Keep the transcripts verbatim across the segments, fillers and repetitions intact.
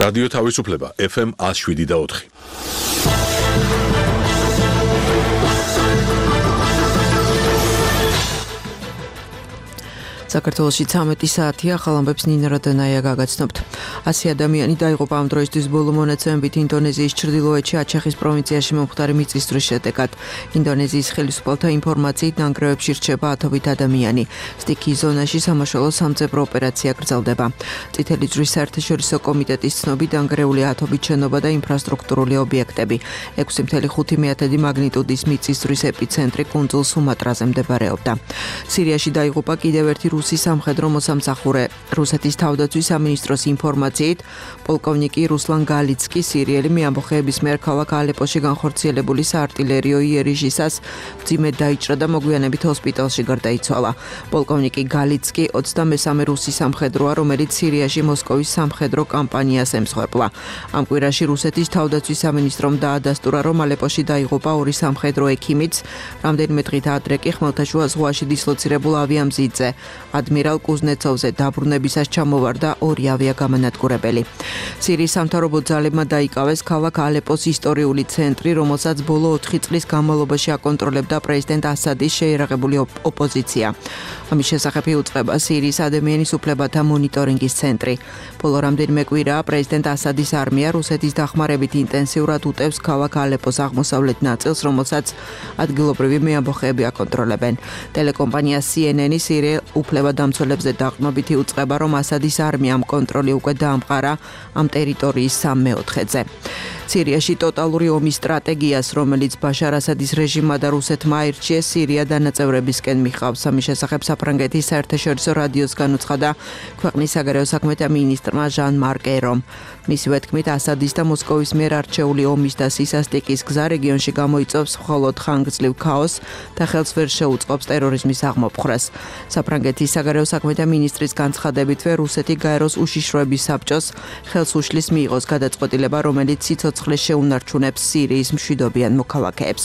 რადიო თავისუფლება ეფ ემ one oh seven და four. საქართველოში ცამეტი საათია, ახალ ამბებს ნინა როდანაია გაგაცნობთ. ასი ადამიანი დაიღუპა ამ დროისთვის ბოლო მონაცემებით ინდონეზიის ჩრდილოეთში აჩახის პროვინციაში მომხდარი მიწისძვრის შედეგად. ინდონეზიის ხელისუფალთა ინფორმაციით ნანგრევებში რჩება ათობით ადამიანი. სტიქიის ზონაში სამაშველო სამძებრო ოპერაცია გრძელდება. წითელი ჯვრის საერთაშორისო კომიტეტის ცნობით დანგრეული ათობით შენობა და ინფრასტრუქტურული ობიექტები. ექვსი კoma ხუთი მაგნიტუდის მიწისძვრის ეპიცენტრი კუნძულ სუმატრაზე მდებარეობდა. სირიაში დაიღუპა კიდევ ერთი რუსის სამხედრო მოსამსახურე. რუსეთის თავდაცვის სამინისტროს ინფორმაციით, პოლკოვნიკი რუსლან გალიცკი სირიელი მეამბოხეების მიერ ქალაქ ალეპოში განხორციელებული საარტილერიო იერიშისას მძიმედ დაიჭრა და მოგვიანებით ჰოსპიტალში გარდაიცვალა. პოლკოვნიკი გალიცკი ოცდამესამე რუსი სამხედროა, რომელიც სირიაში მოსკოვის სამხედრო კამპანიას ემსხვერპლა. ამ კვირაში რუსეთის თავდაცვის სამინისტრომ დაადასტურა, რომ ალეპოში დაიღუპა ორი სამხედრო ექიმიც, რამდენიმე დღით ადრე კი ხმელთაშუა ზღვაში დისლოცირებულ ავიამზიდზე ადმირალ კუზნეცოვზე დაბრუნებისას ჩამოვარდა ორი ავიაგამანადგურებელი. სირიის სამთავრობო ძალებმა დაიკავეს ქალაქ ალეპოს ისტორიული ცენტრი, რომელსაც ბოლო ოთხი წლის განმავლობაში აკონტროლებდა პრეზიდენტ ასადის შეიარაღებული ოპოზიცია. ამის შესახებ იუწყება სირიის ადამიანის უფლებათა მონიტორინგის ცენტრი. ბოლო რამდენიმე კვირაა პრეზიდენტ ასადის არმია რუსეთის დახმარებით ინტენსიურად უტევს ქალაქ ალეპოს აღმოსავლეთ ნაწილს, რომელსაც ადგილობრივი მეამბოხეები აკონტროლებენ. ტელეკომპანია სი ენ ენი სირიელ უფლებადამცველებზე დაყრდნობით იუწყება, რომ ასადის არმიამ კონტროლი უკვე დაამყარა ამ ტერიტორიის სამ მეოთხედზე. სირიაში ტოტალური ომის სტრატეგიას, რომელიც ბაშარ ასადის რეჟიმმა და რუსეთმა აირჩიეს, სირია დანაწევრებისკენ მიხავს. ამის შესახებ საფრანგეთის საერთაშორისო რადიოს განუცხადა ქვეყნის საგარეო საქმეთა მინისტრმა ჟან მარკ ერომ. მისივე თქმით, ასადის და მოსკოვის მიერ არჩეული ომის და სისასტიკის გზა რეგიონში გამოიწვევს მხოლოდ ხანგრძლივ ქაოსს და ხელს ვერ შეუწყობს ტერორიზმის აღმოფხრას. საფრანგეთის საგარეო საქმეთა მინისტრის განცხადებითვე რუსეთი გაეროს უშიშროების საბჭოს ხელს უშლის მიიღოს გადაწყვეტილება, რომელიც სიცოცხლეს შეუნარჩუნებს სირიის მშვიდობიან მოქალაქეებს.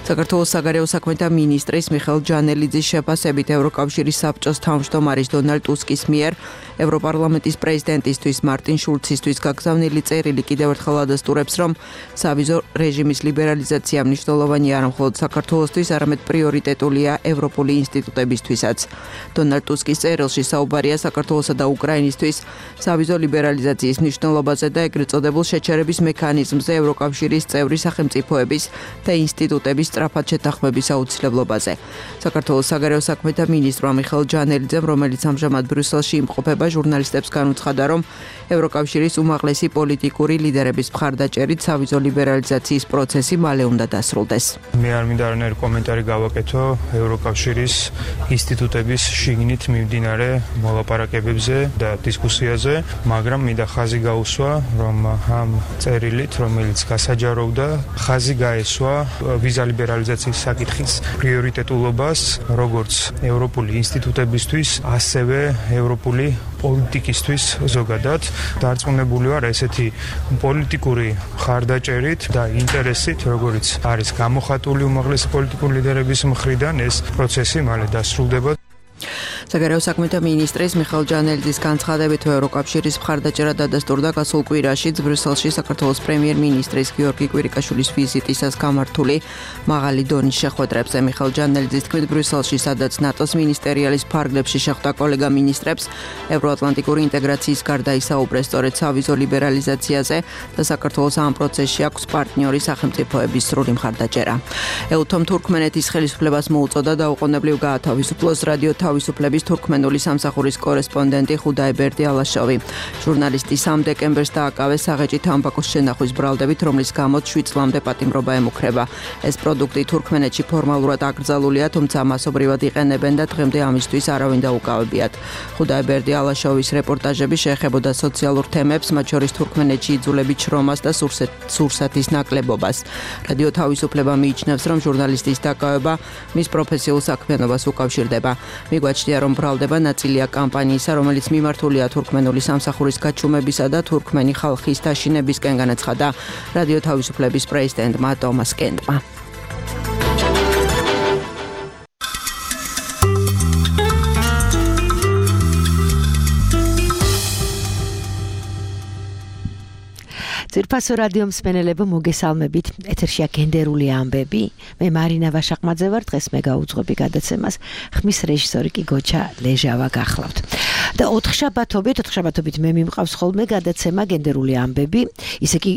საქართველოს საგარეო საქმეთა მინისტრის მიხეილ ჯანელიძის შეფასებით ევროკავშირის საბჭოს თავმჯდომარის დონალდ ტუსკის მიერ ევროპარლამენტის პრეზიდენტისთვის მარტინ შულცისთვის გაგზავნილი წერილი კიდევ ერთხელ ადასტურებს, რომ სავიზო რეჟიმის ლიბერალიზაცია მნიშვნელოვანი არა მხოლოდ საქართველოსთვის, არამედ პრიორიტეტულია ევროპული ინსტიტუტებისთვისაც. დონალდ ტუსკის წერილში საუბარია საქართველოსა და უკრაინისთვის სავიზო ლიბერალიზაციის მნიშვნელობაზე და ეგრეთ წოდებულ შეჩერების მექანიზმზე ევროკავშირის წევრი სახელმწიფოების და ინსტიტუტების სწრაფად შეთანხმების აუცილებლობაზე. საქართველოს საგარეო საქმეთა მინისტრმა მიხეილ ჯანელიძემ, რომელიც ამჟამად ბრიუსელში იმყოფება, ჟურნალისტებს განუცხადა, რომ ევროკავშირის უმაღლესი პოლიტიკური ლიდერების მხარდაჭერით სავიზო ლიბერალიზაციის პროცესი მალე უნდა დასრულდეს. მე არ მინდა არანაირი კომენტარი გავაკეთო ევროკავშირის ინსტიტუტების შიგნით მიმდინარე მოლაპარაკებებზე და დისკუსიაზე, მაგრამ მინდა ხაზი გაუსვა, რომ ამ წერილით, რომელიც გასაჯაროვდა, ხაზი გაესვა ვიზა ლიბერალიზაციის საკითხის პრიორიტეტულობას როგორც ევროპული ინსტიტუტებისთვის, ასევე ევროპული პოლიტიკისთვის ზოგადად. დარწმუნებული ვარ ესეთი პოლიტიკური მხარდაჭერით და ინტერესით, როგორც არის გამოხატული უმაღლესი პოლიტიკური ლიდერების მხრიდან, ეს პროცესი მალე დასრულდება. საგარეო საქმეთა მინისტრის მიხეილ ჯანელიძის განცხადებით ევროკავშირის მხარდაჭერა დადასტურდა გასულ კვირაში ბრიუსელში საქართველოს პრემიერ-მინისტრის გიორგი კვირიკაშვილის ვიზიტისას გამართული მაღალი დონის შეხვედრებზე. მიხეილ ჯანელიძის თქმით, ბრიუსელში, სადაც ნატოს მინისტერიალის ფარგლებში შეხვდა კოლეგა მინისტრებს, ევროატლანტიკური ინტეგრაციის გარდა ისაუბრეს სწორედ სავიზო ლიბერალიზაციაზე და საქართველოს ამ პროცესში აქვს პარტნიორი სახელმწიფოების სრული მხარდაჭერა. ეუთომ თურქმენეთის ხელისუფლებას მოუწოდა დაუყოვნებლივ გაათავისუფლოს რადიო თავისუფლების თურქმენული სამსახურის კორესპონდენტი ხუდაიბერდი ალაშოვი. ჟურნალისტი სამ დეკემბერს დააკავეს საღეჭი თამბაქოს შენახვის ბრალდებით, რომლის გამოც შვიდ წლამდე პატიმრობა ემუქრება. ეს პროდუქტი თურქმენეთში ფორმალურად აკრძალულია, თუმცა მასობრივად იყენებენ და დღემდე ამისთვის არავინ დაუკავებიათ. ხუდაიბერდი ალაშოვის რეპორტაჟები შეეხებოდა სოციალურ თემებს, მათ შორის თურქმენეთში იძულებით შრომას და სურსათის ნაკლებობას. რადიო თავისუფლება მიიჩნევს, რომ ჟურნალისტის დაკავება მის პროფესიულ საქმიანობას უკავშირდება. მიგვაჩნია, რომ ბრალდება ნაწილია კამპანიისა, რომელიც მიმართულია თურქმენული სამსახურის გაჩუმებისა და თურქმენი ხალხის დაშინებისკენ, განაცხადა რადიო თავისუფლების პრეზიდენტმა ტომას კენტმა. ძვირფასო რადიო მსმენელებო, მოგესალმებით. ეთერშია გენდერული ამბები. მე მარინა ვაშაყმაძე ვარ, დღეს მე გავუძღვები გადაცემას. ხმის რეჟისორი კი გოჩა ლეჟავა გახლავთ. და ოთხშაბათობით, ოთხშაბათობით მე მიმყავს ხოლმე გადაცემა გენდერული ამბები. ისე კი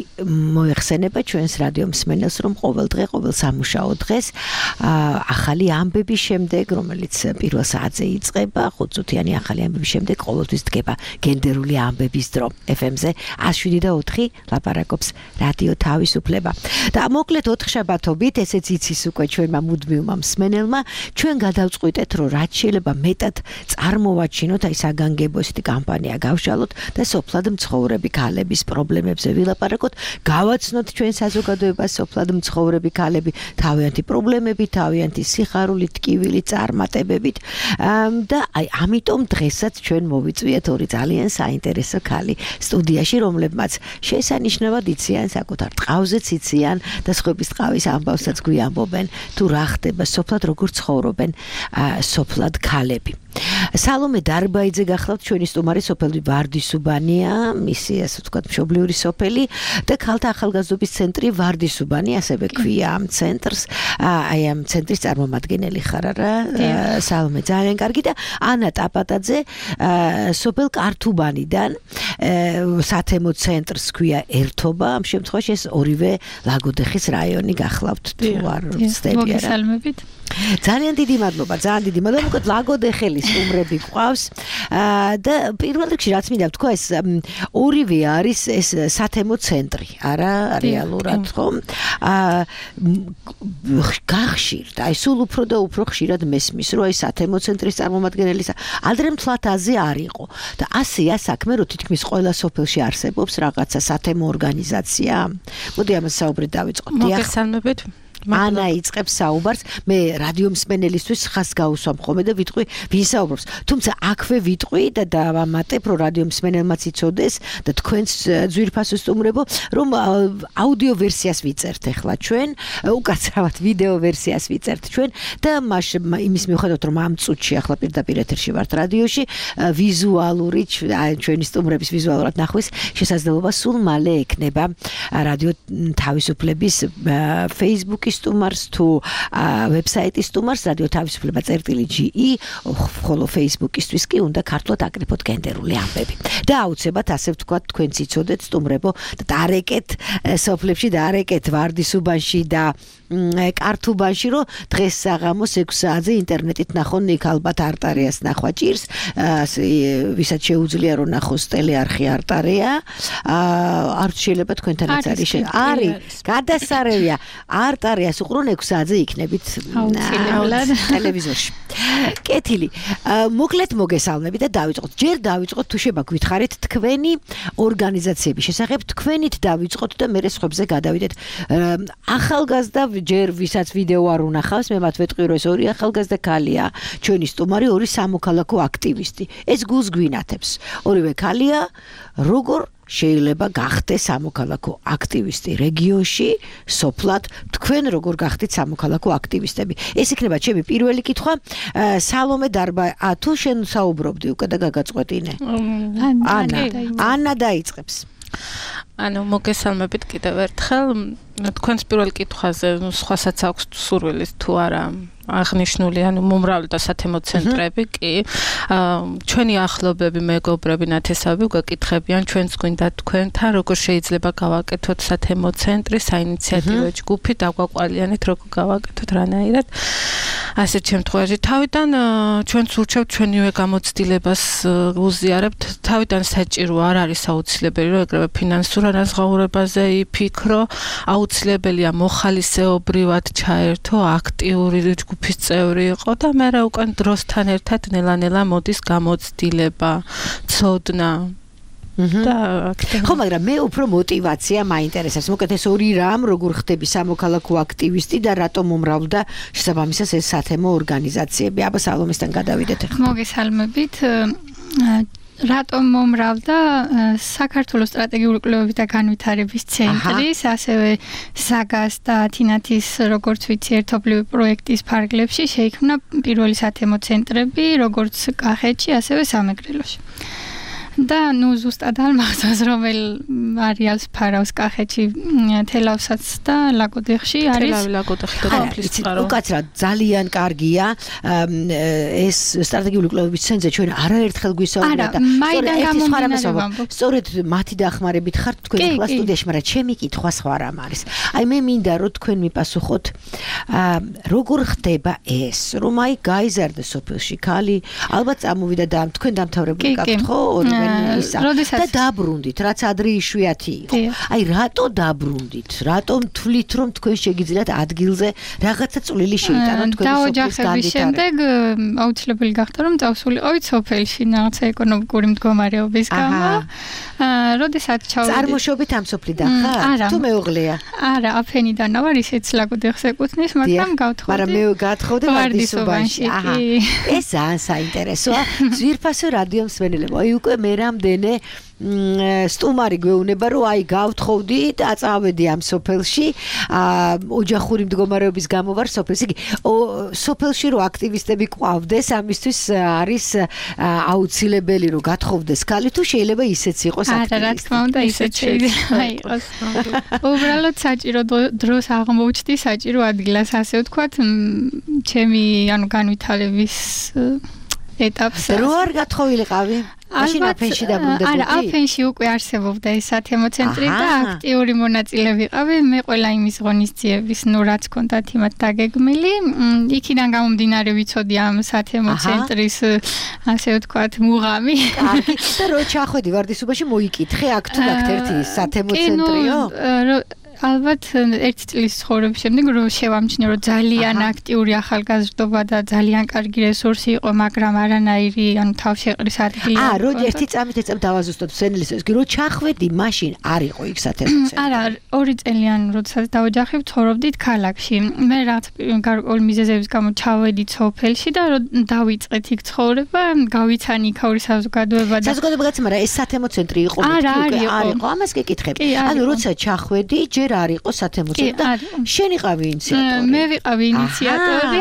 მოეხსენება ჩვენს რადიო მსმენელს, რომ ყოველ დღე, ყოველ სამუშაო დღეს ახალი ამბების შემდეგ, რომელიც პირველ საათზე იწყება, ხუთწუთიანი ახალი ამბების შემდეგ ყოველთვის დგება გენდერული ამბების დრო. ეფ ემ-ზე ას შვიდი და ოთხი ლაპარაკობს რადიო თავისუფლება. და მოკლედ ოთხშაბათობით, ესეც იცის უკვე ჩვენმა მუდმივმა მსმენელმა, ჩვენ გადავწყვიტეთ, რომ რაც შეიძლება მეტად წარმოვაჩინოთ, აი საგანგებო ესეთი კამპანია გავშალოთ და სოფლად მცხოვრები ქალების პრობლემებზე ვილაპარაკოთ, გავაცნოთ ჩვენ საზოგადოებას სოფლად მცხოვრები ქალები თავიანთი პრობლემებით, თავიანთი სიხარულით, ტკივილით, წარმატებებით და აი ამიტომ დღესაც ჩვენ მოვიწვიეთ ორი ძალიან საინტერესო ქალი სტუდიაში, რომლებმაც შესანიშნავად იციან საკუთარ ტყავზეც იციან და სხვების ტყავის ამბავსაც გვიამბობენ, თუ რა ხდება სოფლად, როგორ ცხოვრობენ სოფლად ქალები. სალომე დარბაიძე გახლავთ, ჩვენი სტუმარი, სოფელი ვარდისუბანია, მისი ასე ვთქვათ მშობლიური სოფელი და ქალთა ახალგაზრდობის ცენტრი ვარდისუბანი, ასევე ქვია ამ ცენტრს. აი ამ ცენტრის წარმომადგენელი ხარ არა? სალომე, ძალიან კარგი. და ანა ტაპატაძე სოფელ კართუბანიდან, სათემო ცენტრს ქვია ერთობა, ამ შემთხვევაში ეს ორივე ლაგოდეხის რაიონი გახლავთ, თუ არ ვცდები არა? მოგესალმებით. ძალიან დიდი მადლობა, ძალიან დიდი მადლობა. მოკლედ ლაგოდეხელის სტუმრები გვყავს და პირველ რიგში რაც მინდა ვთქვა, ეს ორივე არის ეს სათემო ცენტრი, არა რეალურად, ხო? გახშირთ, აი სულ უფრო და უფრო ხშირად მესმის, რომ აი სათემო ცენტრის წარმომადგენელისა ადრე მთლათაზე არ იყო. და ასეა საქმე, რომ თითქმის ყველა სოფელში არსებობს რაღაცა სათემო ორგანიზაცია. მოდი ამას საუბრით დავიწყოთ. მოგესალმებით. ანა იწყებს საუბარს, მე რადიო მსმენელისთვის ხას გავუსვამ ხოლმე და ვიტყვი ვინ საუბრობს. თუმცა აქვე ვიტყვი და დავამატებ, რომ რადიო მსმენელმაც იცოდეს და თქვენს ძვირფასო სტუმრებო, რომ აუდიო ვერსიას ვიწერთ ახლა ჩვენ, უკაცრავად ვიდეო ვერსიას ვიწერთ ჩვენ და მას იმის მიუხედავად, რომ ამ წუთში ახლა პირდაპირ ეთერში ვართ რადიოში, ვიზუალური ჩვენი სტუმრების ვიზუალურად ნახვის შესაძლებლობა სულ მალე ექნება რადიო თავისუფლების Facebook სტუმარს თუ ვებსაიტის სტუმარს რადიო თავისუფლება წერტილი ჯი ი, ხოლო Facebook-ისთვის კი უნდა ქართულად აკრიფოთ გენდერული ამბები. და აუცილებლად ასე ვთქვათ, თქვენც იცოდეთ სტუმრებო, დარეკეთ სოფლებში, დარეკეთ ვარდისუბანში და კართუბანში, რომ დღეს საღამოს ექვსი საათზე ინტერნეტით ნახონ იქ ალბათ არტარიას ნახვა ჭირს, ვისაც შეუძლია რომ ნახოს ტელეარხი არტარია, არ შეიძლება თქვენთანაც არის არის გადასარევია არტარიას უყრონ ექვსი საათზე იქნებით ტელევიზორში. კეთილი. მოკლედ მოგესალმებით და დავიწყოთ. ჯერ დავიწყოთ თუ შეება გითხარით თქვენი ორგანიზაციების შესახებ, თქვენით დავიწყოთ და მერე სხვებზე გადავიდეთ. ახალგაზრდა ჯერ ვისაც ვიდეო არ უნახავს, მე მათ ვეტყვი, რომ ეს ორი ახალგაზრდა ქალია, ჩვენი სტუმარი, ორი სამოქალაქო აქტივისტი. ეს გულს გვინათებს. ორივე ქალია, როგორ შეიძლება გახდეს სამოქალაქო აქტივისტი რეგიონში, სოფლად, თქვენ როგორ გახდით სამოქალაქო აქტივისტები? ეს იქნება ჩემი პირველი კითხვა. სალომე დარბა, ა თუ შენ საუბრობდი უკვე და გაგაწყვეტინე? ანა, ანა დაიწყებს. ანუ მოგესალმებით კიდევ ერთხელ. თქვენს პირველ კითხვაზე სხვასაც აქვს სურვილი თუ არა აღნიშნული, ანუ მომრავლე და სათემო ცენტრები კი ჩვენი ახლობები, მეგობრები, ნათესავები გაკითხებიან ჩვენს გვინდა თქვენთან როგორ შეიძლება გავაკეთოთ სათემო ცენტრი, საინიციატივო ჯგუფი, დაგვაყვალიანეთ როგორ გავაკეთოთ რანაირად. ასეთ შემთხვევაში თავიდან ჩვენც ურჩევთ ჩვენივე გამოცდილებას უზიარებთ, თავიდან საჭირო არ არის აუცილებელი, რომ ეგრევე ფინანსურ ანაზღაურებაზე იფიქრო, აუცილებელია მოხალისეობრივად ჩაერთო, აქტიური ჯგუფის წევრი იყო და მე რა უკან დროსთან ერთად ნელა-ნელა მოდის გამოცდილება, ცოდნა. ხო, მაგრამ მე უფრო мотивация მაინტერესებს. მოკლედ ეს ორი რამ, როგორ ხდები სამოქალაქო აქტივისტი და რატომ მომრავლდა შესაბამისად ეს სათემო ორგანიზაციები? აბა სალომესთან გადავიდეთ ახლა. მოგესალმებით. რატომ მომრავლდა საქართველოს სტრატეგიული კვლევების და განვითარების ცენტრის, ასევე საგას და თინათის, როგორც ვიცი, ერთობლივი პროექტის ფარგლებში შეიქმნა პირველი სათემო ცენტრები, როგორც კახეთში, ასევე სამეგრელოში. და ნუ ზუსტად არ მახსოვს რომელ არეალს ფარავს კახეთში თელავსაც და ლაგოდეხში არის თელავი ლაგოდეხი და თაფლის წყარო უკაცრად ძალიან კარგია ეს სტრატეგიული კვლევების ცენტრზე ჩვენ არაერთხელ გვისაუბრა და მაიდან გამომდინარე სწორედ მათი დახმარებით ხართ თქვენ ახლა სტუდიაში მაგრამ ჩემი კითხვა სხვა რამ არის აი მე მინდა რომ თქვენ მიპასუხოთ როგორ ხდება ეს რომ აი გაიზარდა სოფელში ქალი ალბათ წამოვიდა და თქვენ დამთავრებული გაქვთ ხო ორივე ისა და დაბრუნდით რაც ადრე იშვიათი იყო აი რატო დაბრუნდით რატომ თვლით რომ თქვენ შეგიძლიათ ადგილზე რაღაცა წვლილი შეიტანოთ თქვენ სოფლის დაოჯახების შემდეგ აუცილებელი გახდა რომ წავსულიყავით სოფელში რაღაცა ეკონომიკური მდგომარეობის გამო როდესაც ჩავედი წარმოშობით ამ სოფლიდან ხარ თუ მეუღლეა არა აფენიდან ვარ ისეც ლაგოდეხს ეკუთვნის მაგრამ გავთხოვდი მაგრამ მე გავთხოვდი ვარდისობაში აჰა ეს ძალიან საინტერესოა ძვირფასო რადიო მსმენელებო აი უკვე მე რამდენე სტუმარი გვეუბნება რომ აი გავთხოვდი და წავედი ამ სოფელში ოჯახური მდგომარეობის გამო ვარ სოფელში იგი სოფელში რო აქტივისტები ყვავდეს ამისთვის არის აუცილებელი რომ გათხოვდეს ქალი თუ შეიძლება ისეც იყოს აქტივისტი არა რა თქმა უნდა ისეც შეიძლება იყოს უბრალოდ საჭირო დროს აღმოუჩდი საჭირო ადგილას ასე ვთქვათ ჩემი ანუ განვითარების ეტაპს რო არ გათხოვილიყავი მაშინ აფენში დაბრუნდებოდი? არა, აფენში უკვე არსებობდა ეს სათემო ცენტრი და აქტიური მონაწილე ვიყავი. მე ყველა იმის ღონისძიების, ნუ რაც ჰქონდათ იმათ დაგეგმილი, იქიდან გამომდინარე ვიცოდი ამ სათემო ცენტრის ასე ვთქვათ მუღამი. კარგი. და რო ჩახვედი ვარდისობაში მოიკითხე აქ თუ აქ ერთი სათემო ცენტრიო? ალბათ ერთი წლის ცხოვრების შემდეგ რომ შევამჩნიე რომ ძალიან აქტიური ახალგაზრდობა და ძალიან კარგი რესურსი იყო, მაგრამ არანაირი ანუ თავშეყრის ადგილი. აა, რო ერთი წამით ეწევ დავაზუსტოთ სენლის, ის რო ჩახვედი, მაშინ არ იყო იქ სათემო ცენტრი. არა, ორი წელიან როდესაც დავოჯახე, ვცხოვრობდით ქალაქში. მე რაც გარკვეული მიზეზების გამო ჩავედით სოფელში და რომ დავიწყეთ იქ ცხოვრება, გავიცანი იქაური საზოგადოება და საზოგადოებაც, მაგრამ ეს სათემო ცენტრი იყო მეთქი უკვე არ იყო. ამას გეკითხებ. ანუ როცა ჩახვედი, ჯერ არ იყო სათემო ცენტრი და შენ იყავი ინიციატორი. მე ვიყავი ინიციატორი.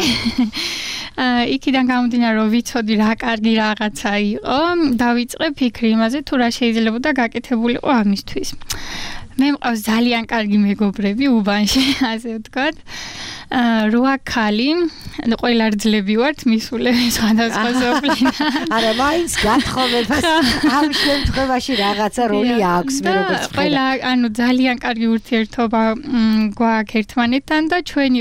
იქიდან გამომდინარე რომ ვიცოდი რა კარგი რაღაცა იყო, დავიწყე ფიქრი იმაზე თუ რა შეიძლებოდა გაკეთებულიყო ამისთვის. მე მყავს ძალიან კარგი მეგობრები უბანში, ასე ვთქვათ. რვა ქალი, ყველა რძლები ვართ, მისულები სხვადასხვა სოფლიდან. არა, მაინც გათხოვებას ამ შემთხვევაში რაღაცა როლი აქვს მე როგორც ვხედავ. ყველა, ანუ ძალიან კარგი ურთიერთობა გვაქვს ერთმანეთთან და ჩვენი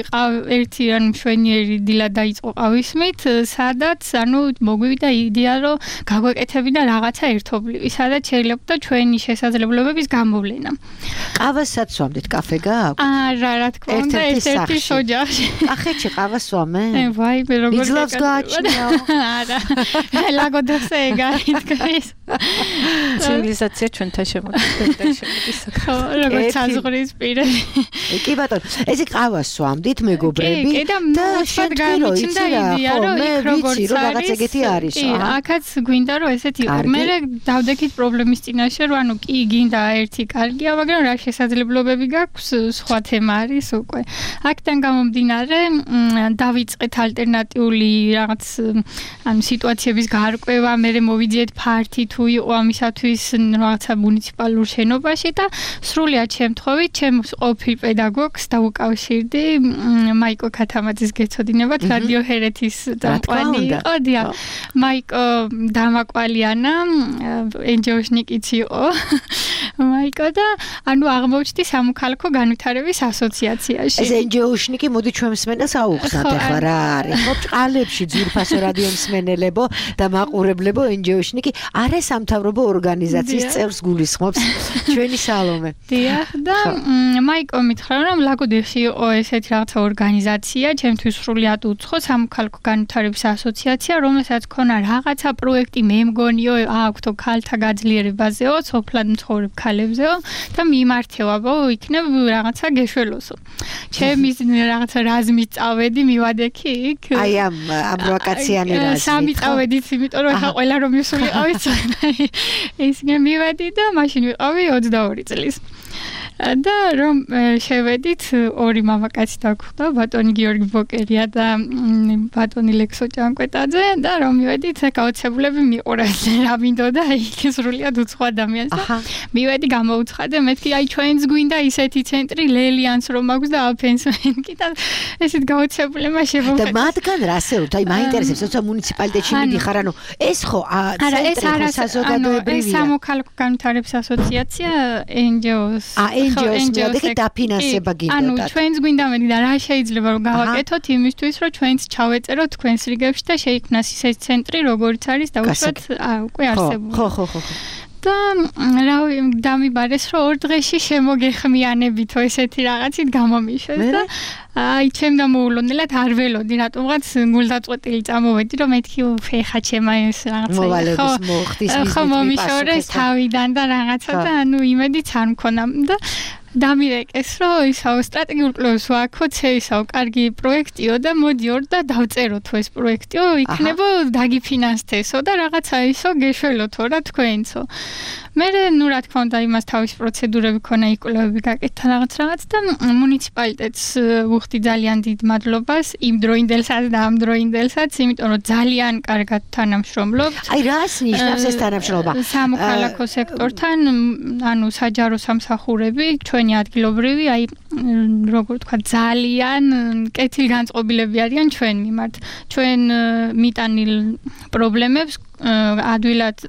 ერთი ანუ მშვენიერი დილა დაიწყო ყავისმით, სადაც ანუ მოგვივიდა იდეა რომ გაგვეკეთებინა რაღაცა ერთობლივი, სადაც შეიძლება ჩვენი შესაძლებლობების გამოვლენა. ყავასაც სვამდით, კაფე გააქვთ? არა, რა თქმა უნდა, ერთ-ერთი ოჯახი. ახეთში ყავას სვამენ? ვაი, მე როგორ იძლავს გააჩნიაო? არა. ლაგოდეხზე ეგარითქვის. ცივილიზაცია ჩვენთან შემოდის. ხო, როგორც საზღვრის პირები. კი ბატონო, ესე ყავას სვამდით მეგობრები და შემდგამიჩნდა იდეა რომ იქ როგორც არის, რაღაც ეგეთი არის. კი, აქაც გვინდა რომ ესეთი იყო. მე დავდექით პრობლემის წინაშე რომ ანუ კი გინდა ერთი კარგია, მაგრამ რა შესაძლებლობები გაქვს, სხვა თემა არის უკვე. აქედან გამომდინარე დავიწყეთ ალტერნატიული რაღაც ანუ სიტუაციების გარკვევა, მე მოვიძიეთ ფართი თუ იყო ამისათვის რაღაცა მუნიციპალურ შენობაში და სრულიად შემთხვევით ჩემს ყოფილ პედაგოგს დავუკავშირდი მაიკო ქათამაძის გეცოდინებათ რადიო ჰერეთის დამყვანი იყო დია მაიკო დამაკვალიანა ენჯეოშნიკიც იყო მაიკო და ანუ აღმოჩნდი სამოქალაქო განვითარების ასოციაციაში ეს ენჯეოშნიკი მოდი ჩვენ მსმენელს აუხსნათ ახლა რა არის ხო წყალებში ძვირფასო რადიო მსმენელებო და მაყურებლებო ენჯეოშნიკი არა სამთავრობო ორგანიზაციის წევრს გულისხმობს ჩვენი სალომე დიახ და მაიკო მითხრა რომ ლაგოდეხში იყო ესეთი რაღაცა ორგანიზაცია ჩემთვის სრულიად უცხო სამოქალაქო განვითარების ასოციაცია რომელსაც ქონა რაღაცა პროექტი მე მგონიო აქვთო ქალთა გაძლიერებაზეო სოფლად მცხოვრებ ქალებზეო და მიმართევაბო იქნებ რაღაცა გეშველოსო ჩემი რაღაცა რაზმით წავედი მივადექი იქ აი ამ ამ ვაკაციანი რაზმით სამი წავედით იმიტომ რომ ახლა ყველა რომ მისულიყავით ეს მე მივედი და მაშინ ვიყავი ოცდაორი წლის და რომ შევედით ორი მამაკაცი დაგვხვდა, ბატონი გიორგი ბოკერია და ბატონი ლექსო ჭანკვეტაძე და რომ მივედით გაოცებულები მიყურეთ რა მინდოდა იქ სრულიად უცხო ადამიანს და მივედი გამოუცხადე მეთქი აი ჩვენს გვინდა ისეთი ცენტრი ლელიანს რომ აქვს და აფენს მენკი და ესეთ გაოცებულებმა შევხედე და მათგან რა შეუთ აი მაინტერესებს როცა მუნიციპალიტეტში მიდიხარ ანუ ეს ხო ცენტრი საზოგადოებრივია ეს სამოქალაქო განვითარების ასოციაცია εν ჯი ოს ა εν ჯი ოს მიადგეთ დაფინანსება გინდათ ანუ ჩვენს გვინდა მეთქი და რა შეიძლება რომ გავაკეთოთ იმისთვის რომ ჩვენც ჩავეწეროთ თქვენს რიგებში და შეიქმნას ისეთი ცენტრი როგორც არის და უშუალოდ უკვე არსებული ხო ხო ხო და რა დამიბარეს რომ ორ დღეში შემოგეხმიანებითო ესეთი რაღაცით გამომიშვეს და აი ჩემ დამოულოდნელად არ ველოდი რატომღაც გულდაწყვეტილი წამოვედი რომ მეთქი ფეხა ჩემა ეს რაღაცა მოვალების მოხდის ხო მომიშორეს თავიდან და რაღაცა და ანუ იმედიც არ მქონდა და დამირეკეს რომ ისაო სტრატეგიულ კვლევას ვაქოთ ისაო კარგი პროექტიო და მოდიორ და დავწეროთ ეს პროექტიო იქნებო დაგიფინანსთესო და რაღაცა ისო გეშველოთო რა თქვენცო მე ნუ რა თქმა უნდა იმას თავის პროცედურები ქონა იკვლევები გაკეთდა რაღაც რაღაც და მუნიციპალიტეტს ვუხდი ძალიან დიდ მადლობას იმ დროინდელსაც და ამ დროინდელსაც იმიტომ რომ ძალიან კარგად თანამშრომლობთ აი რას ნიშნავს ეს თანამშრომლობა სამოქალაქო სექტორთან ანუ საჯარო სამსახურები ჩვენი ადგილობრივი აი როგორ თქვა ძალიან კეთილგანწყობილები არიან ჩვენ მიმართ ჩვენ მიტანილ პრობლემებს ადვილად